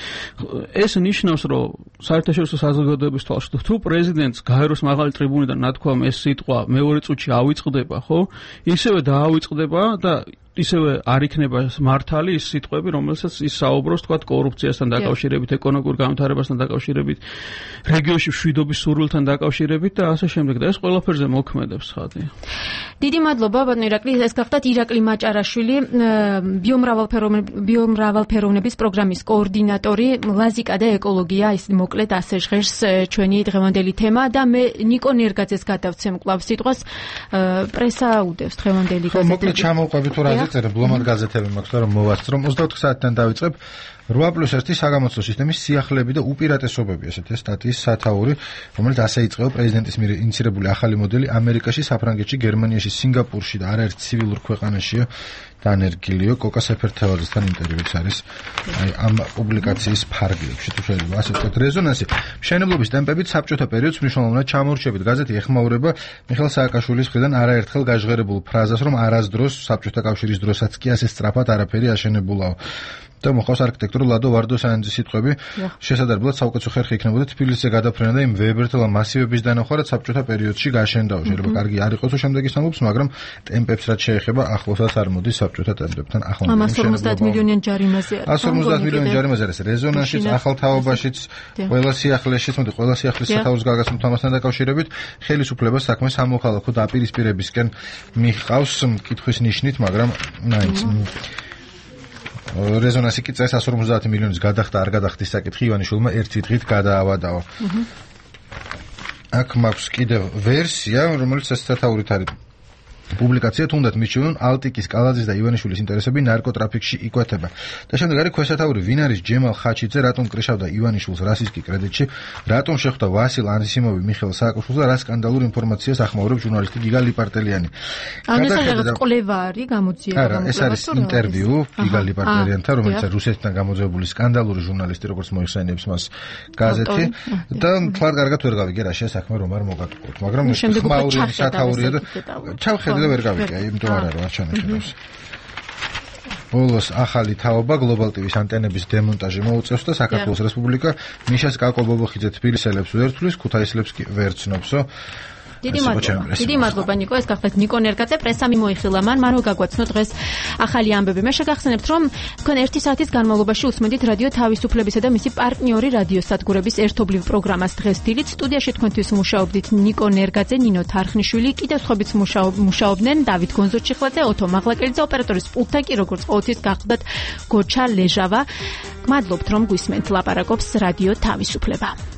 ეს ნიშნავს რომ საერთაშორისო საზოგადოების თვალშიდო თუ პრეზიდენტს გაეროს მაღალი ტრიბუნიდან ნათქვამ ეს სიტყვა მეორე წუთში ავიწყდება, ხო? ისევე დაავიწყდება და ისევე არ იქნება მართალი ის სიტყვები, რომელსაც ის საუბრობს, თქვა კორუფციასთან დაკავშირებით, ეკონომიკურ განვითარებასთან დაკავშირებით, რეგიონში მშვიდობის სურვილთან დაკავშირებით და ასე შემდეგ და ეს ყველაფერზე მოქმედებს ხათი. დიდი მადლობა ბატონო ირაკლი, ეს გახდათ ირაკლი მაჭარაშვილი, ბიომრავალფეროვნების პროგრამის კოორდინატორი, ლაზიკა და ეკოლოგია, ის მოკლედ ასე ჟღერს ჩვენი დღევანდელი თემა და მე ნიკო ნერგაძეს გადავცემ კვლავ სიტყვას, პრესა უდევს დღევანდელი გაზეთები. მოკლედ ჩამოვყვებით თუ რა წერებ, ბლომად გაზეთები მაქვს, რომ მოვასწრო 24 საათიდან დავიწყებ 8+1 საგამოცდო სისტემის სიახლეები და უპირატესობები, ესეთი სტატიის სათაური, რომელიც ასე იწყება პრეზიდენტის მიერ ინიცირებული ახალი მოდელი ამერიკაში, საფრანგეთში, გერმანიაში, სინგაპურში და არაერთ ცივილურ ქვეყანაშია დანერგილიო კოკა სეფერთევალისთან ინტერვიუც არის აი ამ პუბლიკაციის ფარგლებში თუ შეიძლება ასე ვთქვათ რეზონანსი მშენებლობის ტემპებით საბჭოთა პერიოდს მნიშვნელოვნად ჩამორჩებით გაზეთი ეხმაურება მიხეილ სააკაშვილის მხრიდან არაერთხელ გაჟღერებულ ფრაზას რომ არასდროს საბჭოთა კავშირის დროსაც კი ასე სწრაფად არაფერი აშენებულაო და მოხავს არქიტექტორ ლადო ვარდოსანიძის სიტყვები შესაძლებლად საუკეთესო ხერხი იქნებოდა თბილისზე გადაფრენა და იმ ვებერთელა მასივების დანახვარად საბჭოთა პერიოდში გაშენდაო შეიძლება კარგი არ იყოსო შემდეგი სამობს მაგრამ ტემპებს რაც შეეხება ახლოსაც არ მოდის საბჭოთა ტემპებთან ახლოს ამას 50 მილიონიან ჯარიმაზე არის 150 მილიონიან ჯარიმაზე არის რეზონანსიც ახალთაობაშიც ყველა სიახლეშიც მოდი ყველა სიახლის სათავის გაგაცნობთ ამასთან დაკავშირებით ხელისუფლებას საქმე სამოქალაქო დაპირისპირებისკენ მიხავს კითხვის ნიშნით მაგრამ მაინც რეზონანსი კი წეს 150 მილიონის გადახდა არ გადახდის საკითხი ივანიშვილმა ერთი დღით გადაავადაო. აქ მაქვს კიდევ ვერსია, რომელიც ეს სათაურით არის პუბლიკაცია თუნდაც მიჩვენონ ალტიკის კალაძის და ივანიშვილის ინტერესები ნარკოტრაფიკში იკვეთება. და შემდეგ არის ქვესათაური ვინ არის ჯემალ ხაჩიძე, რატომ კრიშავდა ივანიშვილს რასისტი კრედიტში, რატომ შეხვდა ვასილ ანისიმოვი მიხეილ სააკაშვილს და რა სკანდალური ინფორმაციას ახმაურებს ჟურნალისტი გიგა ლიპარტელიანი. განსაკუთრებით კვლევა არის გამოძიება გამოკლება. ეს არის ინტერვიუ გიგა ლიპარტელიანთან, რომელიც რუსეთთან გამოძიებული სკანდალური ჟურნალისტი, როგორც მოიხსენიებს მას გაზეთი და თლარ კარგად ვერ გავიგე რა შესაქმე რომ არ მოგატყუოთ, მაგრამ ხმაური სათაურია და ჩავხედე და ვერ გავიგე, იმიტომ არ არის არჩევნებს. ბოლოს ახალი თაობა გლობალ ტივის ანტენების დემონტაჟი მოუწევს და საქართველოს რესპუბლიკა მიშას კაკო-ბობოხიძე თბილისელებს ვერთვლის, ქუთაისელებს კი ვერ ცნობს. დიდი მადლობა ნიკო, ეს გახლდათ ნიკო ნერგაძე პრესამი მოიხილა მან რო გაგვაცნო დღეს ახალი ამბები. მე შეგახსენებთ რომ თქვენ 1 საათის განმავლობაში უსმენთ რადიო თავისუფლებისა და მისი პარტნიორი რადიოსადგურების ერთობლივ პროგრამას დღეს დილით სტუდიაში თქვენთვის მუშაობდით ნიკო ნერგაძე, ნინო თარხნიშვილი, კიდევ სხვაებიც მუშაობდნენ დავით გონზორჩიხლაძე, ოთო მაღლაკელიძე, ოპერატორის პულტთან კი როგორც ყოველთვის გახლდათ გოჩა ლეჟავა. გმადლობთ რომ გვისმენთ ლაპარაკობს რადიო თავისუფლება.